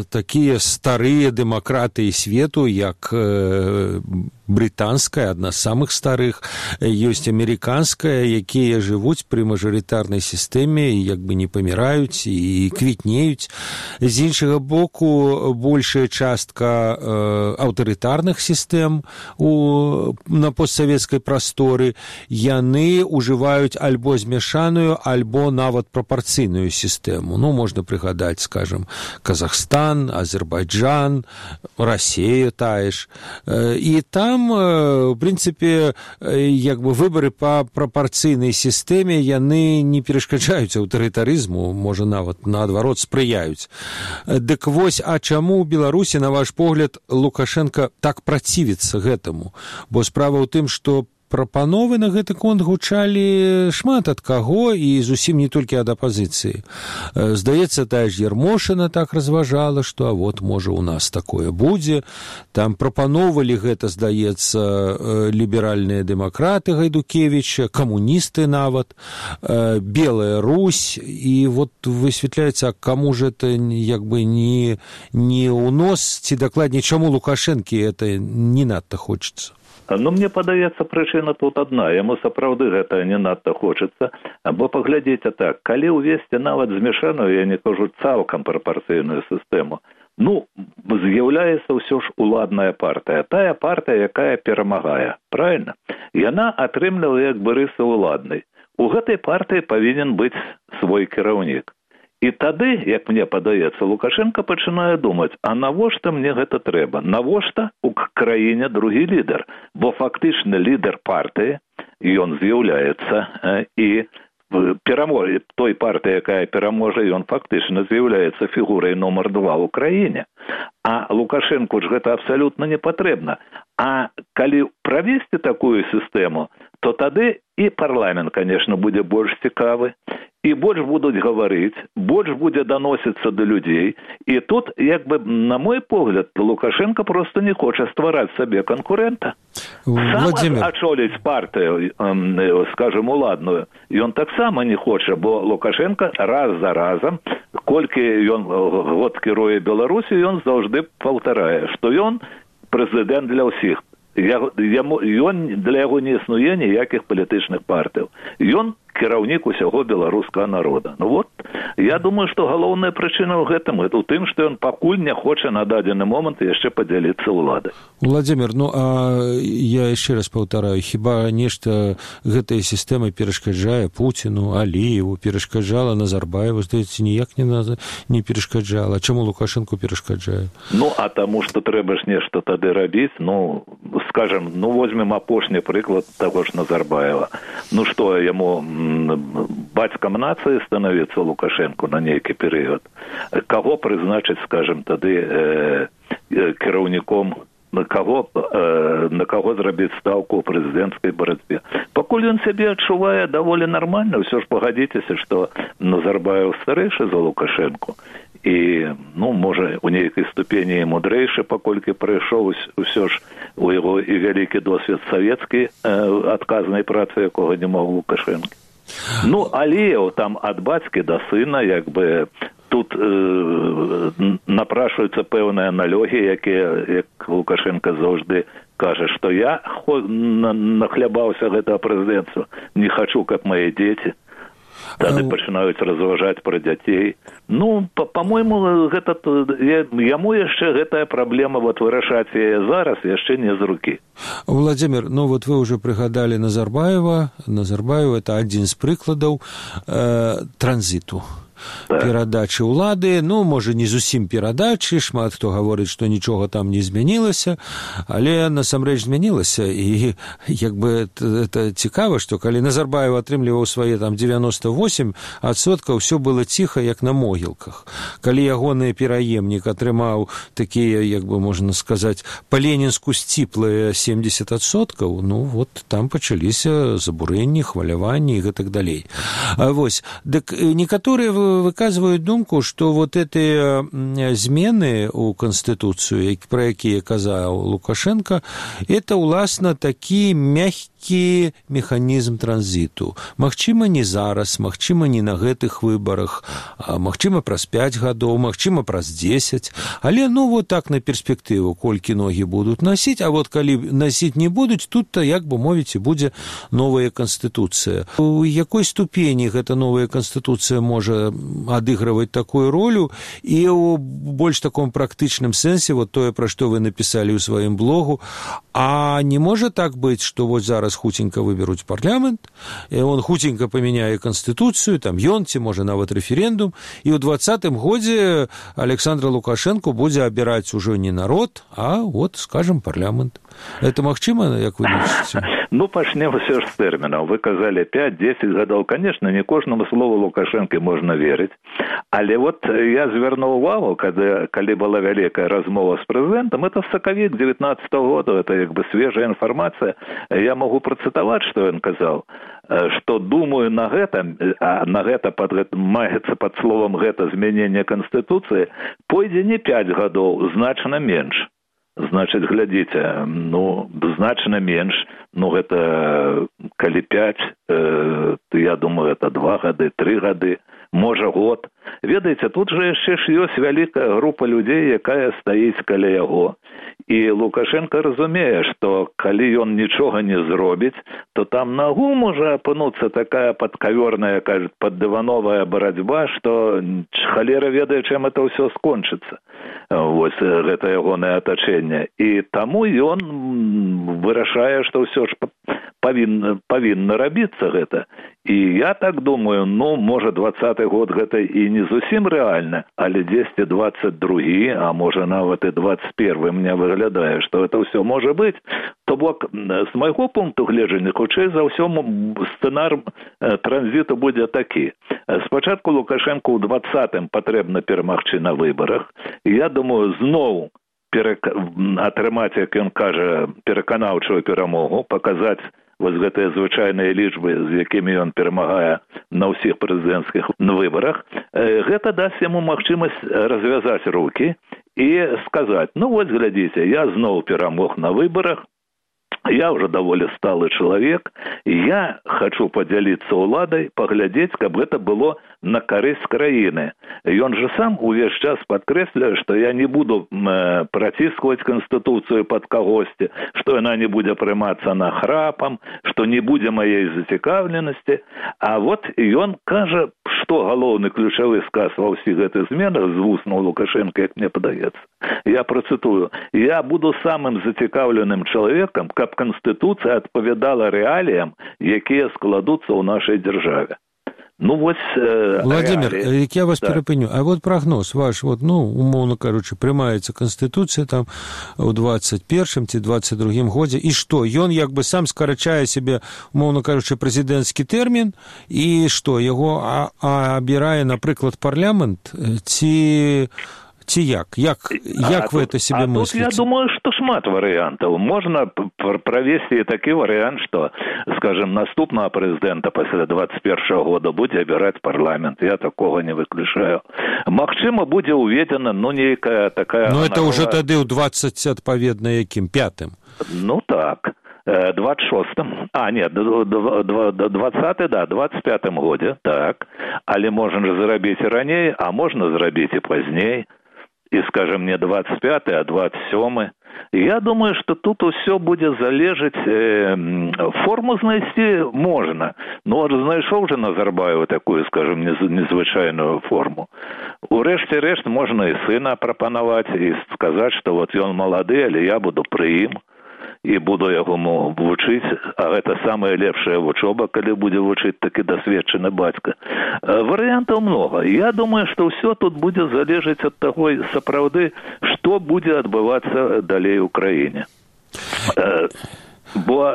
такія старыя дэмакратыі свету, як брытанская, адна з самых старых, ёсць амерыканская, якія жывуць пры мажарытарнай сістэме і як бы не паміраюць і квітнеюць. З іншага боку, большая частка аўтарытарных сістэм на постсавецкай прасторы, яны ўжываюць альбо змяшаную, альбо нават прапарцыйную сістэму. Ну, можна прыгадаць, скажем, Казахстан, Азербайджан, Расія тая ж. І там, в прынцыпе, як бы выбары па прапарцыйнай сістэме, яны не перашкаджаюць аўтарытарызму, можа, нават наадварот спрыяюць. Дык вось, а чаму ў Беларусі, на ваш погляд, Лукашенко так працівіцца гэтаму? Бо справа ў тым, што прапановы на гэты конт гучалі шмат ад каго і зусім не толькі ад апазіцыі. Здаецца, тая ж Ярмошына так разважала, што а вот, можа, у нас такое будзе. Там прапаноўвалі гэта, здаецца, ліберальныя дэмакраты Гайдукевіча, камуністы нават, Белая Русь, і вот высвятляецца, каму ж это як бы не ў нос, ці дакладней, чаму Лукашэнкі это не надта хочацца? Ну, мне падаецца, прычына тут адна. Яму сапраўды гэта не надта хочацца. Бо паглядзіце так, калі ўвесці нават змяшаную, я не кажу цалкам прапарцыйную сістэму, ну, з'яўляецца ўсё ж уладная партыя. Тая партыя, якая перамагае. Правильно? Яна атрымлівае як бы рысы уладнай. У гэтай партыі павінен быць свой кіраўнік. І тады, як мне падаецца, Лукашенко пачынае думаць, а навошта мне гэта трэба? Навошта у краіне другі лідар? Бо фактычна лідар партыі, ён з'яўляецца і пераможа той партыі, якая пераможа, ён фактычна з'яўляецца фігурай нумар 2 ў краіне. А Лукашенку ж гэта абсалютна не патрэбна. А калі правесці такую сістэму, то тады і парламент, конечно, будзе больш цікавы, і больш будуць гаварыць, больш будзе даносіцца да людзей. І тут, як бы, на мой погляд, Лукашенко просто не хоча ствараць сабе канкурэнта. Сам ачоліць партыю, скажем, уладную, ён таксама не хоча, бо Лукашенко раз за разам, колькі ён год кіруе Беларусі, ён заўжды паўтарае, што ён прэзідэнт для ўсіх. Ён для яго не існуе ніякіх палітычных партыяў. Ён кіраўнік усяго беларускага народа. Ну вот, я думаю, што галоўная прычына ў гэтым, гэта ў тым, што ён пакуль не хоча на дадзены момант яшчэ падзяліцца ўладай. Владзімир, ну а я яшчэ раз паўтараю, хіба нешта гэтай сістэмай перашкаджае Пуціну, Аліеву, перашкаджала Назарбаеву, здаецца, ніяк не перашкаджала. Чаму Лукашенку перашкаджае? Ну, а таму, што трэба ж нешта тады рабіць, ну, скажем, ну, возьмем апошні прыклад таго ж Назарбаева. Ну, што, яму бацькам нацыі становіцца Лукашенко на нейкі перыяд. Каго прызначыць, скажем, тады кіраўніком, на каго зрабіць стаўку ў прэзідэнцкай барацьбе. Пакуль ён сябе адчувае даволі нармальна, ўсё ж пагадзіцеся, што Назарбаев старэйшы за Лукашенко. І, ну, можа, у нейкай ступені і мудрэйшы, паколькі прыйшоў усё ж у яго і вялікі досвед савецкай адказнай працы, якога не мог Лукашенко. Ну, Аліеў там ад бацькі да сына, як бы, тут напрашваюцца пэўныя налёгі, якія, як Лукашенко заўжды кажа, што я нахлябаўся гэтага прэзідэнцтва, не хачу, каб мае дзеці. Тады пачынаюць разважаць пра дзяцей. Ну, па-мойму, яму яшчэ гэтая праблема вот вырашаць яе зараз яшчэ не з рукі. Владзімир, ну вот вы ўжо прыгадалі Назарбаева. Назарбаев – это адзін з прыкладаў транзіту. Перадачы ўлады, ну, можа, не зусім перадачы, шмат хто гаворыць, што нічога там не змянілася, але насамрэч змянілася, і як бы это цікава, што калі Назарбаев атрымліваў свае там 98%, ўсё было ціха, як на могілках. Калі ягоны пераемнік атрымаў такія, як бы можна сказаць, па-ленінску сціплыя 70%, ну, вот там пачаліся забурэнні, хваляванні і гэтак далей. Вось, дык некаторыя выказывают думку, что вот эти змены у Конституцию, про якія казаў Лукашенко, это, уласна, такі мягкі нейкі механізм транзіту. Магчыма, не зараз, магчыма, не на гэтых выбарах, магчыма, праз 5 гадоў, магчыма, праз 10, але, вот так на перспектыву, колькі ногі будуць насіць, а вот калі насіць не будуць, тут-то, як бы мовіць, і будзе новая канстытуцыя. У якой ступені гэта новая канстытуцыя можа адыгрываць такую ролю, і ў больш таком практычным сэнсе, вот тое, пра што вы напісалі ў сваім блогу, а не можа так быць, што вот зараз хуценька выберуць парламент, і он хуценька памяняе канстытуцыю, там ён, ці можа нават рэферэндум, і ў 20-м годзе Александр Лукашенко будзе абіраць ужо не народ, а вот, скажем, парламент. Это магчыма, як вы лічыце? Пачнем ўсё ж з тэрмінаў. Вы казалі 5-10 гадоў. Конечно, не кожнаму слову Лукашэнкі можна верыць. Але вот я звярнуў увагу, калі была вялікая размова з прэзідэнтам, это сакавік 19-го года, это як бы свежая інфармацыя. Я могу працытаваць, што ён казаў, што думаю на гэта, а на гэта маецца пад словам гэта змяненне канстытуцыі, пойдзе не 5 гадоў, значна менш. Значыць, глядзіце, значна менш, гэта калі 5, я думаю, это 2 гады, 3 гады, можа год. Ведаеце, тут жа яшчэ ж ёсць вялікая група людзей, якая стаіць каля яго. І Лукашенко разумее, што калі ён нічога не зробіць, то там нагу можа апынуцца такая падкавёрная, кажуць, паддывановая барацьба, што халера ведае, чым это ўсё скончыцца. Вось гэта ягонае атачэнне. І таму ён вырашае, што ўсё ж павінна рабіцца гэта. І я так думаю, можа 20-й год гэта і не зусім рэальна, але 10-22, а можа нават і 21, мне выглядае, што это ўсё можа быць. То бок, з майго пункту гледжання, хутчэй за ўсё сцэнар транзіту будзе такі. Спачатку Лукашенко ў 20-м патрэбна перамагчы на выбарах. І я думаю, зноў атрымаць, як ён кажа, пераканаўчую перамогу, паказаць вось гэтыя звычайныя лічбы, з якімі ён перамагае на ўсіх прэзідэнцкіх выбарах, гэта дасць яму магчымасць развязаць рукі і сказаць, вось глядзіце, я зноў перамог на выбарах, я уже даволі сталы чалавек, я хочу падзяліцца ўладай, паглядзець, каб гэта было на карысць краіны. Ён же сам увесь час падкрэсляе, што я не буду праціскваць канстытуцыю пад кагосьці, што яна не будзе прымацца нахрапам, што не будзе маей зацікаўленасці. А вот ён кажа, што галоўны ключавы сказ ва ўсіх гэтых зменах з вуснаў Лукашенка, як мне падаецца. Я працытую. Я буду самым зацікаўленым чалавекам, каб канстытуцыя адпавядала рэаліям, якія складуцца ў нашай дзяржаве. Владимир, я вас перапыню. А вот прогноз ваш, умоўно кажучы, прымаецца канстытуцыя там у 21-м ці 22-м годзе, і што? Ён як бы сам скарачае себе, умоўно кажучы, прэзідэнцкі тэрмін, і што, яго абірае, напрыклад, парламент, ці як? Як вы это себе мысліце? Тут я думаю, што шмат варыянтаў. Можна правесці такі варыянт, што, скажем, наступнага прэзідэнта пасля 21-го года будзе абіраць парламент. Я такога не выключаю. Магчыма, будзе уведзена, нейкая такая... это ўжо тады ў 20, адпаведна, якім? 5-м? Так. 26-м, 20-й, 25-м годзе, так. Але можна зрабіць і раней, а можна зрабіць і пазней. І, скажем, не 25-й, а 27-й. Я думаю, што тут усё будзе залежаць, форму знайсці можна. Знайшоў же Назарбаева такую, скажем, незвычайную форму. Урэшце рэшт можна і сына прапанаваць, і сказаць, што вот ён малады, але я буду пры ім. І буду яго вучыць, а гэта самая лепшая вучоба, калі будзе вучыць такі дасведчаны бацька. Варыянтаў многа. Я думаю, што ўсё тут будзе залежаць ад таго, сапраўды, што будзе адбывацца далей у краіне. Бо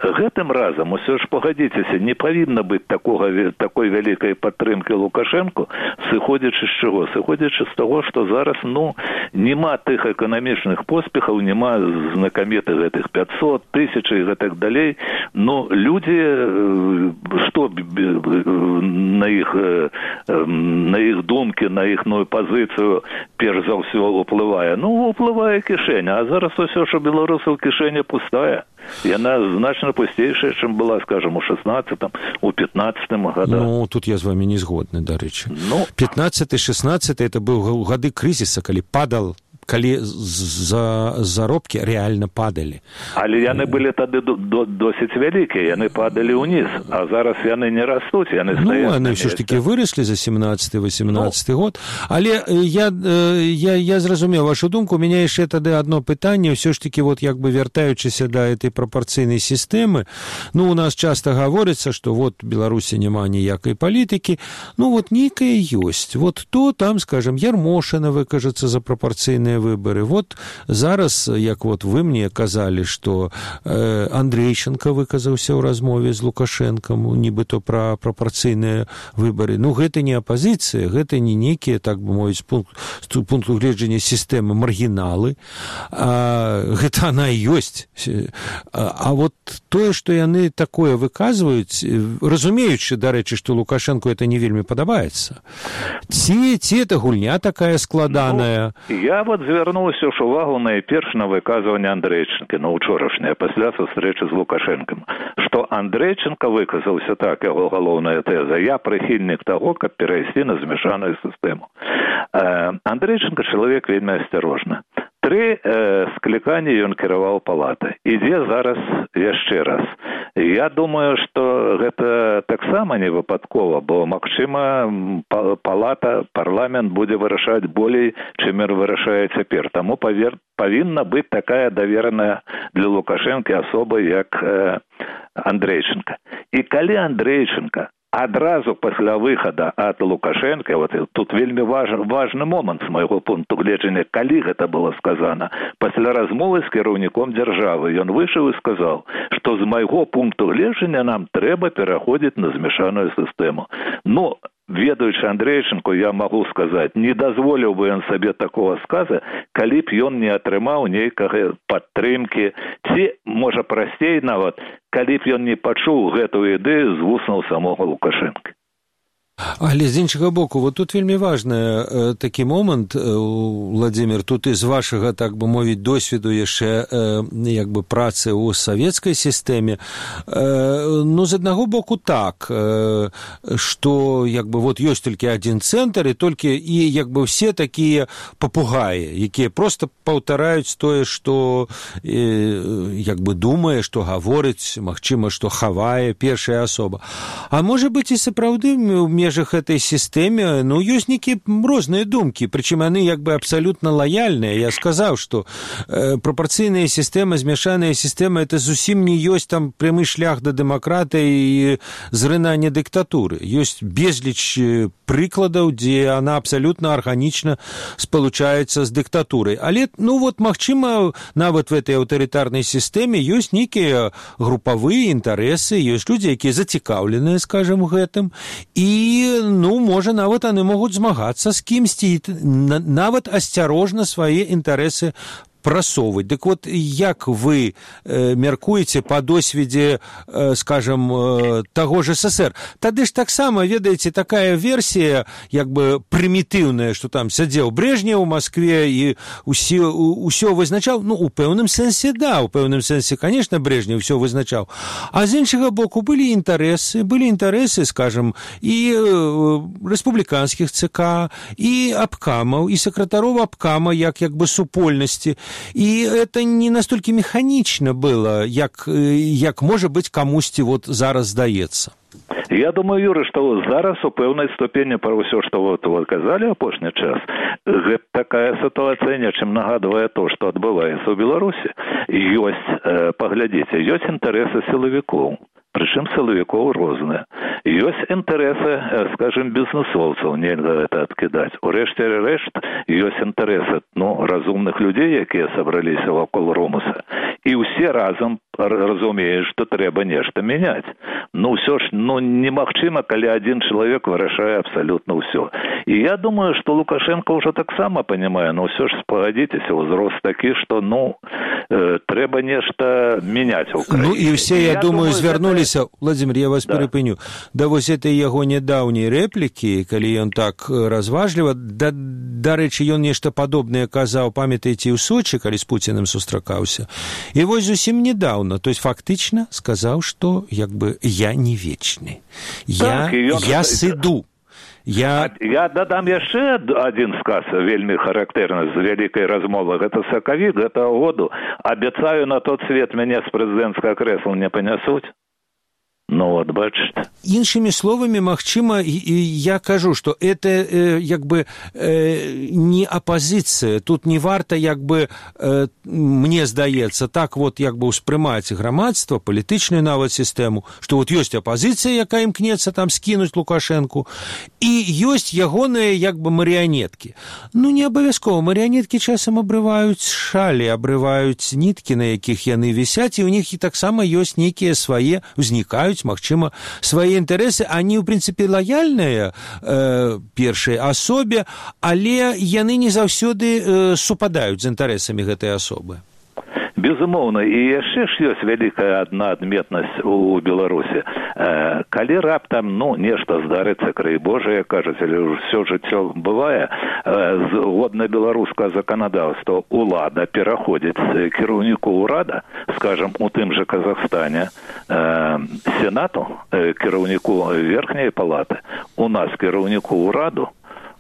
гэтым разам, усё ж пагадзіцеся, не павінна быць такой вялікай падтрымкі Лукашэнку, сыходзячы з чаго? Сыходзячы з таго, што зараз, нема тых эканамічных поспехаў, нема знакамітых гэтых 500, 1000 і гэтак далей. Людзі, што на іх думкі, на іхную пазіцыю перш за ўсё ўплывае? Уплывае кішэня, а зараз усё ж у беларусаў кішэня пустая. Яна значна пусцейшая, чым была, скажем, у 16-м, у 15-м годах. Ну, тут я з вами не згодны, дарэчы. 15-16 это быў гады крызіса, калі заробкі рэальна падалі. Але яны былі тады досыць вялікія, яны падалі ўніз, а зараз яны не растуць, яны стаяць. Ну, яны ўсё ж такі выраслі за 17-18 год. Але я зразумеў вашу думку, у мяне яшчэ тады одно пытанне, ўсё ж такі, вот як бы вяртаючыся да этой прапорцыйнай сістэмы, ну, у нас часта гаворыцца, што вот Беларусі няма ніякай палітыкі, ну, вот нейкая ёсць. Вот то там, скажем, Ярмошина выкажацца за прапорцыйныя выборы. Вот зараз, як вот вы мне казалі, што Андрейченко выказаўся ў размове з Лукашэнкам, нібыто пра прапорцыйныя выборы. Ну, гэта не апазіцыя, гэта не нейкія, так бы мовіць, з пункту гледжання сістэмы маргіналы. Гэта она і ёсць. А вот тое, што яны такое выказваюць, разумеючы, дарэчы, што Лукашэнку это не вельмі падабаецца. Ці это гульня такая складаная? Я вот звярнуўся ж увагу найперш на выказванне Андрейченко, на учорашняе, пасля сустрэчы з Лукашэнкам, што Андрейченко выказаўся так, яго галоўная тэза: я прыхільнік таго, каб перайсці на змяшаную сістэму. Андрейченко чалавек вельмі асцярожны. 3 скліканні ён кіраваў палатай. Ідзе зараз яшчэ раз. Я думаю, што гэта таксама не выпадкова, бо, магчыма, парламент будзе вырашаць болей, чым ён вырашае цяпер. Таму павінна быць такая давераная для Лукашэнкі асоба, як Андрейченко. І калі Андрейченко адразу пасля выхада ад Лукашэнка, вот тут вельмі важны момант з майго пункту гледжання, калі гэта было сказана, пасля размовы з кіраўніком дзяржавы, ён выйшаў і сказаў, што з майго пункту гледжання нам трэба пераходзіць на змяшаную сістэму. Ну, ведаючы Андрейченко, я магу сказаць, не дазволіў бы ён сабе такого сказа, калі б ён не атрымаў нейкага падтрымкі, ці, можа, прасцей нават, калі б ён не пачуў гэтую ідэю з вуснаў самога Лукашэнка. Але з іншага боку, вот тут вельмі важны такі момант, Владзімір, тут і з вашага, так бы мовіць, досведу яшчэ як бы працы ў савецкай сістэме. Ну, з аднаго боку так, што як бы вот ёсць толькі адзін цэнтр, і толькі і як бы все такія папугаі, якія проста паўтараюць тое, што як бы думае, што гаворыць, магчыма, што хавае першая асоба. А можа быць і сапраўды ў межах этой сістэме, ну, ёсць нейкія розныя думкі, прычым яны як бы абсалютна лаяльныя. Я сказаў, што прапорцыйная сістэма, змяшаная сістэма, это зусім не ёсць там прямы шлях да дэмакратыі і зрынання дыктатуры. Ёсць безліч прыкладаў, дзе она абсалютна арганічна спалучаецца з дыктатурай. Але, ну, вот, магчыма, нават в этой аўтарытарнай сістэме ёсць нейкія групавыя інтарэсы, ёсць людзі, якія зацікаўленыя, скажам, гэтым, і ну, можа, нават яны могуць змагацца з кімсьці, нават асцярожна свае інтарэсы прасоўваць. Дык вот, як вы мяркуеце па досведзе, скажам, таго ж СССР? Тады ж таксама, ведаеце, такая версія, як бы прымітыўная, што там сядзеў Брежнев у Маскве і ўсё вызначаў. Ну, у пэўным сэнсе, да, у пэўным сэнсе, конечно, Брежнев ўсё вызначаў. А з іншага боку, былі інтарэсы, скажам, і рэспубліканскіх ЦК, і абкамаў, і сакратароў абкама, як бы супольнасці. І это не настолькі механічна было, як можа быць камусьці вот зараз здаецца. Я думаю, Юры, што зараз у пэўнай ступені пра ўсё, што вот казалі апошні час, гэта такая сітуацыя нечым нагадвае то, што адбываецца ў Беларусі. Ёсць, паглядзіце, ёсць інтарэсы сілавікоў. Прычым сілавікоў розныя. Ёсць інтарэсы, скажем, бізнесоўцаў, нельга гэта адкідаць. Урэшце рэшт, ёсць інтарэсы, ну, разумных людзей, якія сабраліся вакол Ромуса. І ўсе разам разумеюць, што трэба нешта мяняць. Ну, ўсё ж, ну, немагчыма, калі адзін чалавек вырашае абсалютна ўсё. І я думаю, што Лукашенко ўжо таксама панімае, ну, ўсё ж, спагадзіцеся, узрост такі, што, ну, трэба нешта мяняць у краіне. Ну і все, я думаю, звярнуліся, Владимир, я вас перапыню, да вось этой яго нядаўняй рэплікі, калі ён так разважліва, дарэчы, ён нешта падобнае казаў, памятаеце, ў Сочы, калі з Пуціным сустракаўся. І вось зусім недаўна, то есть фактычна сказаў, што як бы я не вечны. Я сыду. Я дадам яшчэ адзін сказ вельмі характэрны з вялікай размовы. Гэта сакавік гэтага году. Абяцаю, на тот свет мяне з прэзідэнцкага крэсла не панясуць. Ну вот, бачите. Іншымі словамі, магчыма, я кажу, што это як бы не апазіцыя. Тут не варта, як бы, мне здаецца, так вот як бы ўспрымаць грамадства, палітычную нават сістэму, што вот ёсць апазіцыя, якая імкнецца там скінуць Лукашэнку, і ёсць ягоныя як бы марыянеткі. Ну, не абавязкова. Марыянеткі часам абрываюць шалі, абрываюць ніткі, на якіх яны вісяць, і ў них і таксама ёсць нейкія свае, узнікаюць, магчыма, свае інтарэсы, они, ў прынцыпе, лаяльныя першай асобе, але яны не заўсёды супадаюць з інтарэсамі гэтай асобы. Безумоўна, і яшчэ ж ёсць вялікая адна адметнасць у Беларусі. Калі раптам, нешта здарыцца, край Божа, кажуць, але ўсё жыццё бывае, згодна беларускага заканадаўства улада пераходзіць кіраўніку ўрада, скажам, у тым жа Казахстане, сенату, кіраўніку верхняй палаты, у нас кіраўніку ўраду,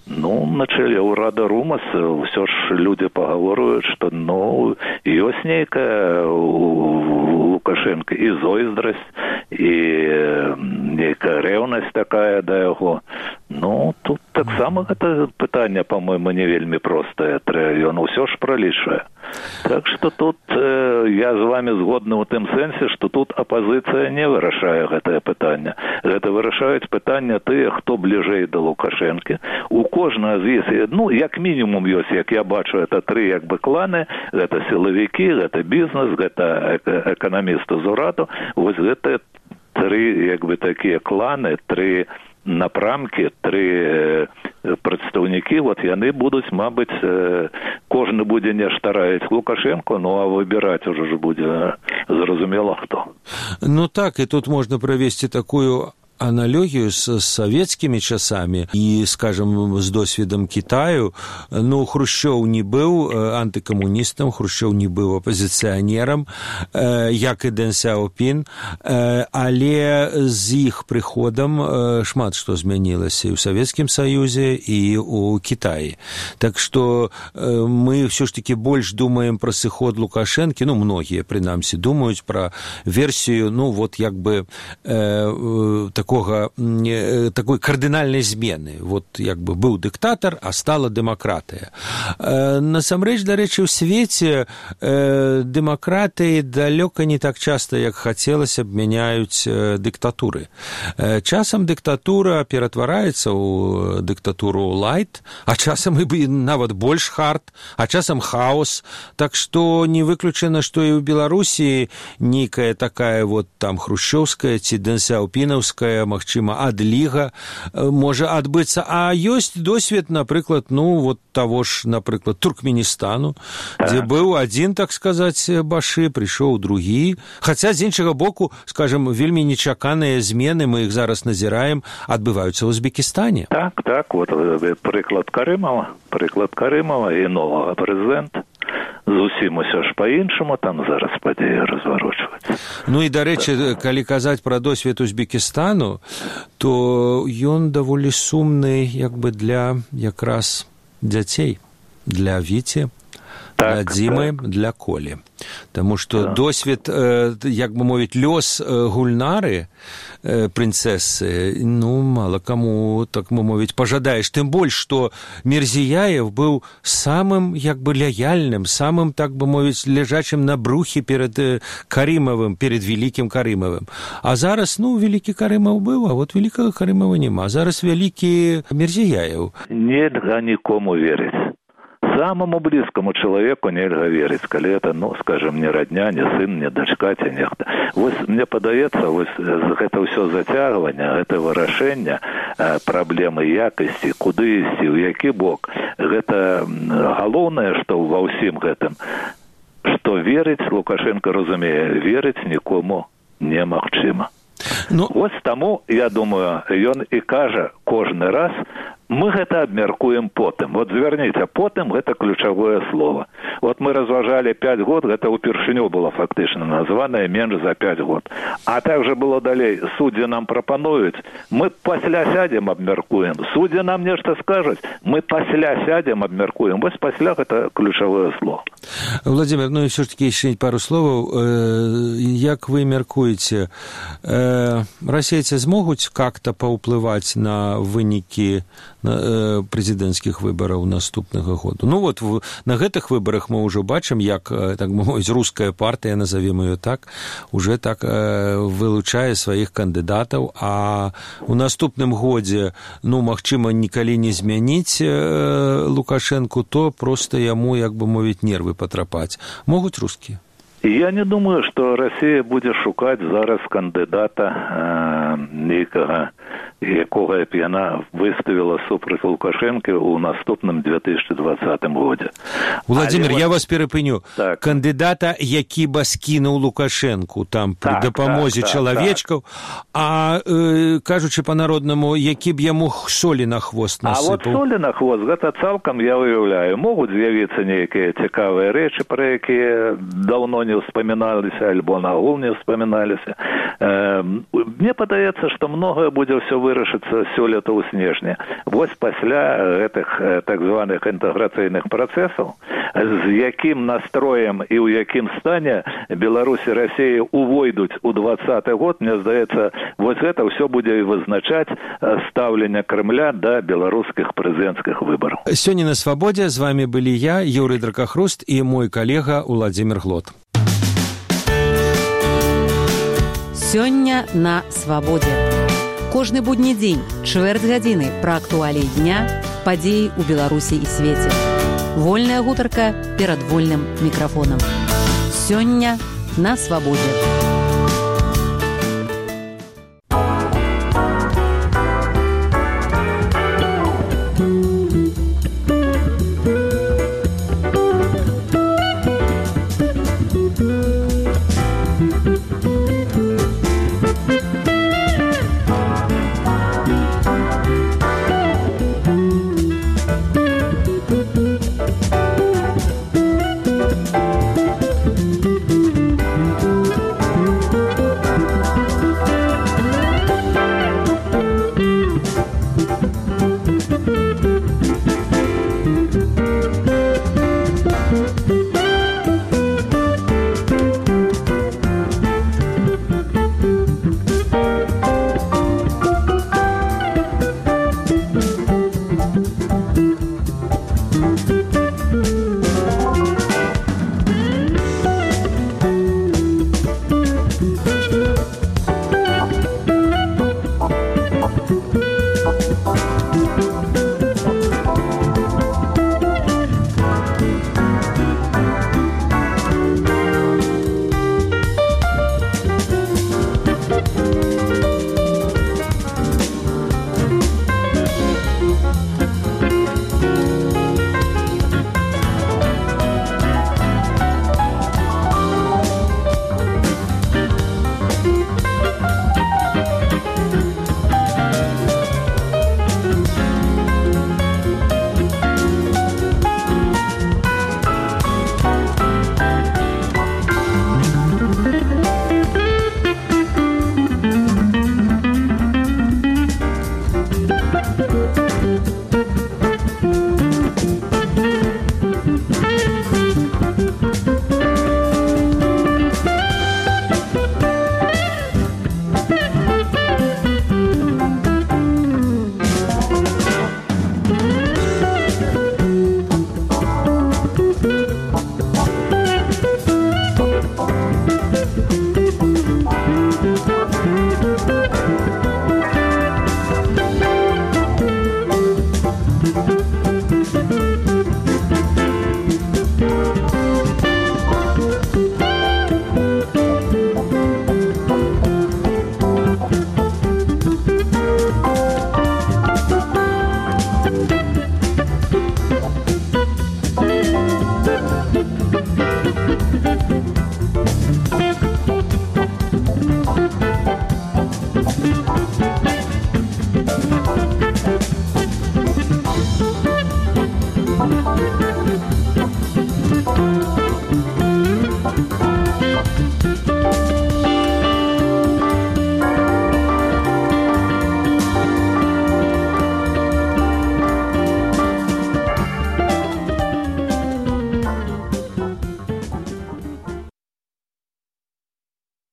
на чэле ўрада РУМАС ўсё ж людзі пагаворваюць, што, ёсць нейкая у Лукашэнка і зойздрасць, і нейкая рэўнасць такая да яго. Тут таксама гэта пытанне, па-мойму, не вельмі простае. Ён усё ж пралічвае. Так што тут я з вами згодны ў тым сэнсе, што тут апазіцыя не вырашае гэтае пытанне. Гэта вырашаюць пытанне тыя, хто бліжэй да Лукашэнкі. У кожнага з іх, як мінімум ёсць, як я бачу, это тры як бы кланы, гэта сілавікі, гэта бізнес, гэта эканамісты з ураду. Вось гэта тры як бы такія кланы, тры напрамкі, тры прадстаўнікі, яны будуць, мабыць, кожны будзе нешта раіць Лукашэнку, а выбіраць ужо ж будзе зразумела хто. Так, і тут можна правесці такую аналогію з савецкімі часамі і, скажем, з досвідам Китаю. Хрушчоў не быў антыкамуністам, Хрушчоў не быў апазіцыянерам, як і Дэн Сяопін, але з іх прыходам шмат што змянілася і ў Савецкім Саюзе, і ў Кітаі. Так што мы ўсё ж такі больш думаем пра сыход Лукашэнкі, многія, прынамсі, думаюць пра версію, як бы такой кардынальнай змены. Як бы быў дыктатар, а стала дэмакратыя. Насамрэч, дарэчы, у свеце дэмакратыі далёка не так часта, як хацелася б, мяняюць дыктатуры. Часам дыктатура ператвараецца ў дыктатуру лайт, а часам і нават больш хард, а часам хаос. Так што не выключана, што і ў Беларусі нейкая такая там хрушчоўская ці дэнсяопінаўская, магчыма, адліга можа адбыцца. А ёсць досвед, напрыклад, таго ж, напрыклад, Туркменістану, дзе быў адзін, так сказаць, башы, прыйшоў другі. Хаця, з іншага боку, скажем, вельмі нечаканыя змены, мы іх зараз назіраем, адбываюцца ў Узбекістане. Так, прыклад Карымова і новага прэзідэнта. Зусім усё ж па-іншаму там зараз падзеі разварочваюцца. І, дарэчы, калі казаць пра досвед Узбекістану, то ён даволі сумны як бы для якраз дзяцей, для Віці, для Дзімы, для Колі. Таму што досвед, як бы мовіць, лёс Гульнары, прынцэсы, мала каму, так мовіць, пажадаеш. Тым больш, што Мірзіяев быў самым, як бы, лаяльным, самым, так бы мовіць, ляжачым на брухе перад Карымавым, перад вялікім Карымавым. А зараз, вялікі Карымаў быў, а вялікага Карымава няма. Зараз вялікі Мірзіяев. Нельга нікому верыць. Самому блізкому чалавеку нельга верыць, калі это, скажем, не радня, не сын, не дачка, ці нехта. Мне падаецца, гэта ўсё зацягванне, гэта вырашэнне праблемы якасці, куды ісці, у які бок. Гэта галоўнае, што ва ўсім гэтым што верыць, Лукашенко разумее, верыць нікому немагчыма. Вось таму, я думаю, ён і кажа кожны раз, мы гэта абмяркуем потым. Вот звярніце, потым гэта ключавое слово. Вот мы разважалі 5 год, гэта ўпершыню было фактычна названае менш за 5 год. А также было далей, суддзі нам прапануюць, мы пасля сядзем абмяркуем. Суддзі нам нешта скажуць, мы пасля сядзем абмяркуем. Вось пасля гэта ключавое слово. Владимир, ну и все-таки еще пару слов. Як вы мяркуеце, расейцы змогуць как-то паўплываць на вынікі прэзідэнцкіх выбараў наступнага году? Ну вот на гэтых выбарах мы ўжо бачым, як, так мовіць, руская партыя, назовем ее так, уже так вылучае сваіх кандыдатаў, а у наступным годзе, ну, магчыма, нікалі не змяніць Лукашенку, то просто яму, як бы мовіць, нервы патрапаць. Могуць рускія? Я не думаю, што Расія будзе шукаць зараз кандыдата нейкага, якога б яна выставіла супраць Лукашэнкі ў наступным 2020 годзе. Владимир, я вас перапыню. Так. Кандыдата, які ба скінуў Лукашэнку там пры дапамозе чалавечкаў, а кажучы па-народнаму, які б яму солі на хвост насыпаў. А вот солі на хвост, гэта цалкам я выяўляю. Могуць з'явіцца нейкія цікавыя рэчы, пра якія даўно не ўспаміналіся, альбо нагул не ўспаміналіся. Мне падаецца, што многае будзе ўсё вырашыцца сёлета ў снежні. Вось пасля гэтых так званых інтэграцыйных працэсаў, з якім настроем і ў якім стане Беларусь і Расія увойдуць у 2020 год, мне здаецца, вось гэта ўсё будзе вызначаць стаўленне Кремля да беларускіх прэзідэнцкіх выбараў. Сёння на Свабодзе з вами былі я, Юрый Дракахруст, і мой калега Владимир Глот. Сёння на Свабодзе. Кожны будні дзень, чвэрць гадзіны пра актуаліі дня, падзеі ў Беларусі і свеце. Вольная гутарка перад вольным мікрафонам. Сёння на Свабодзе.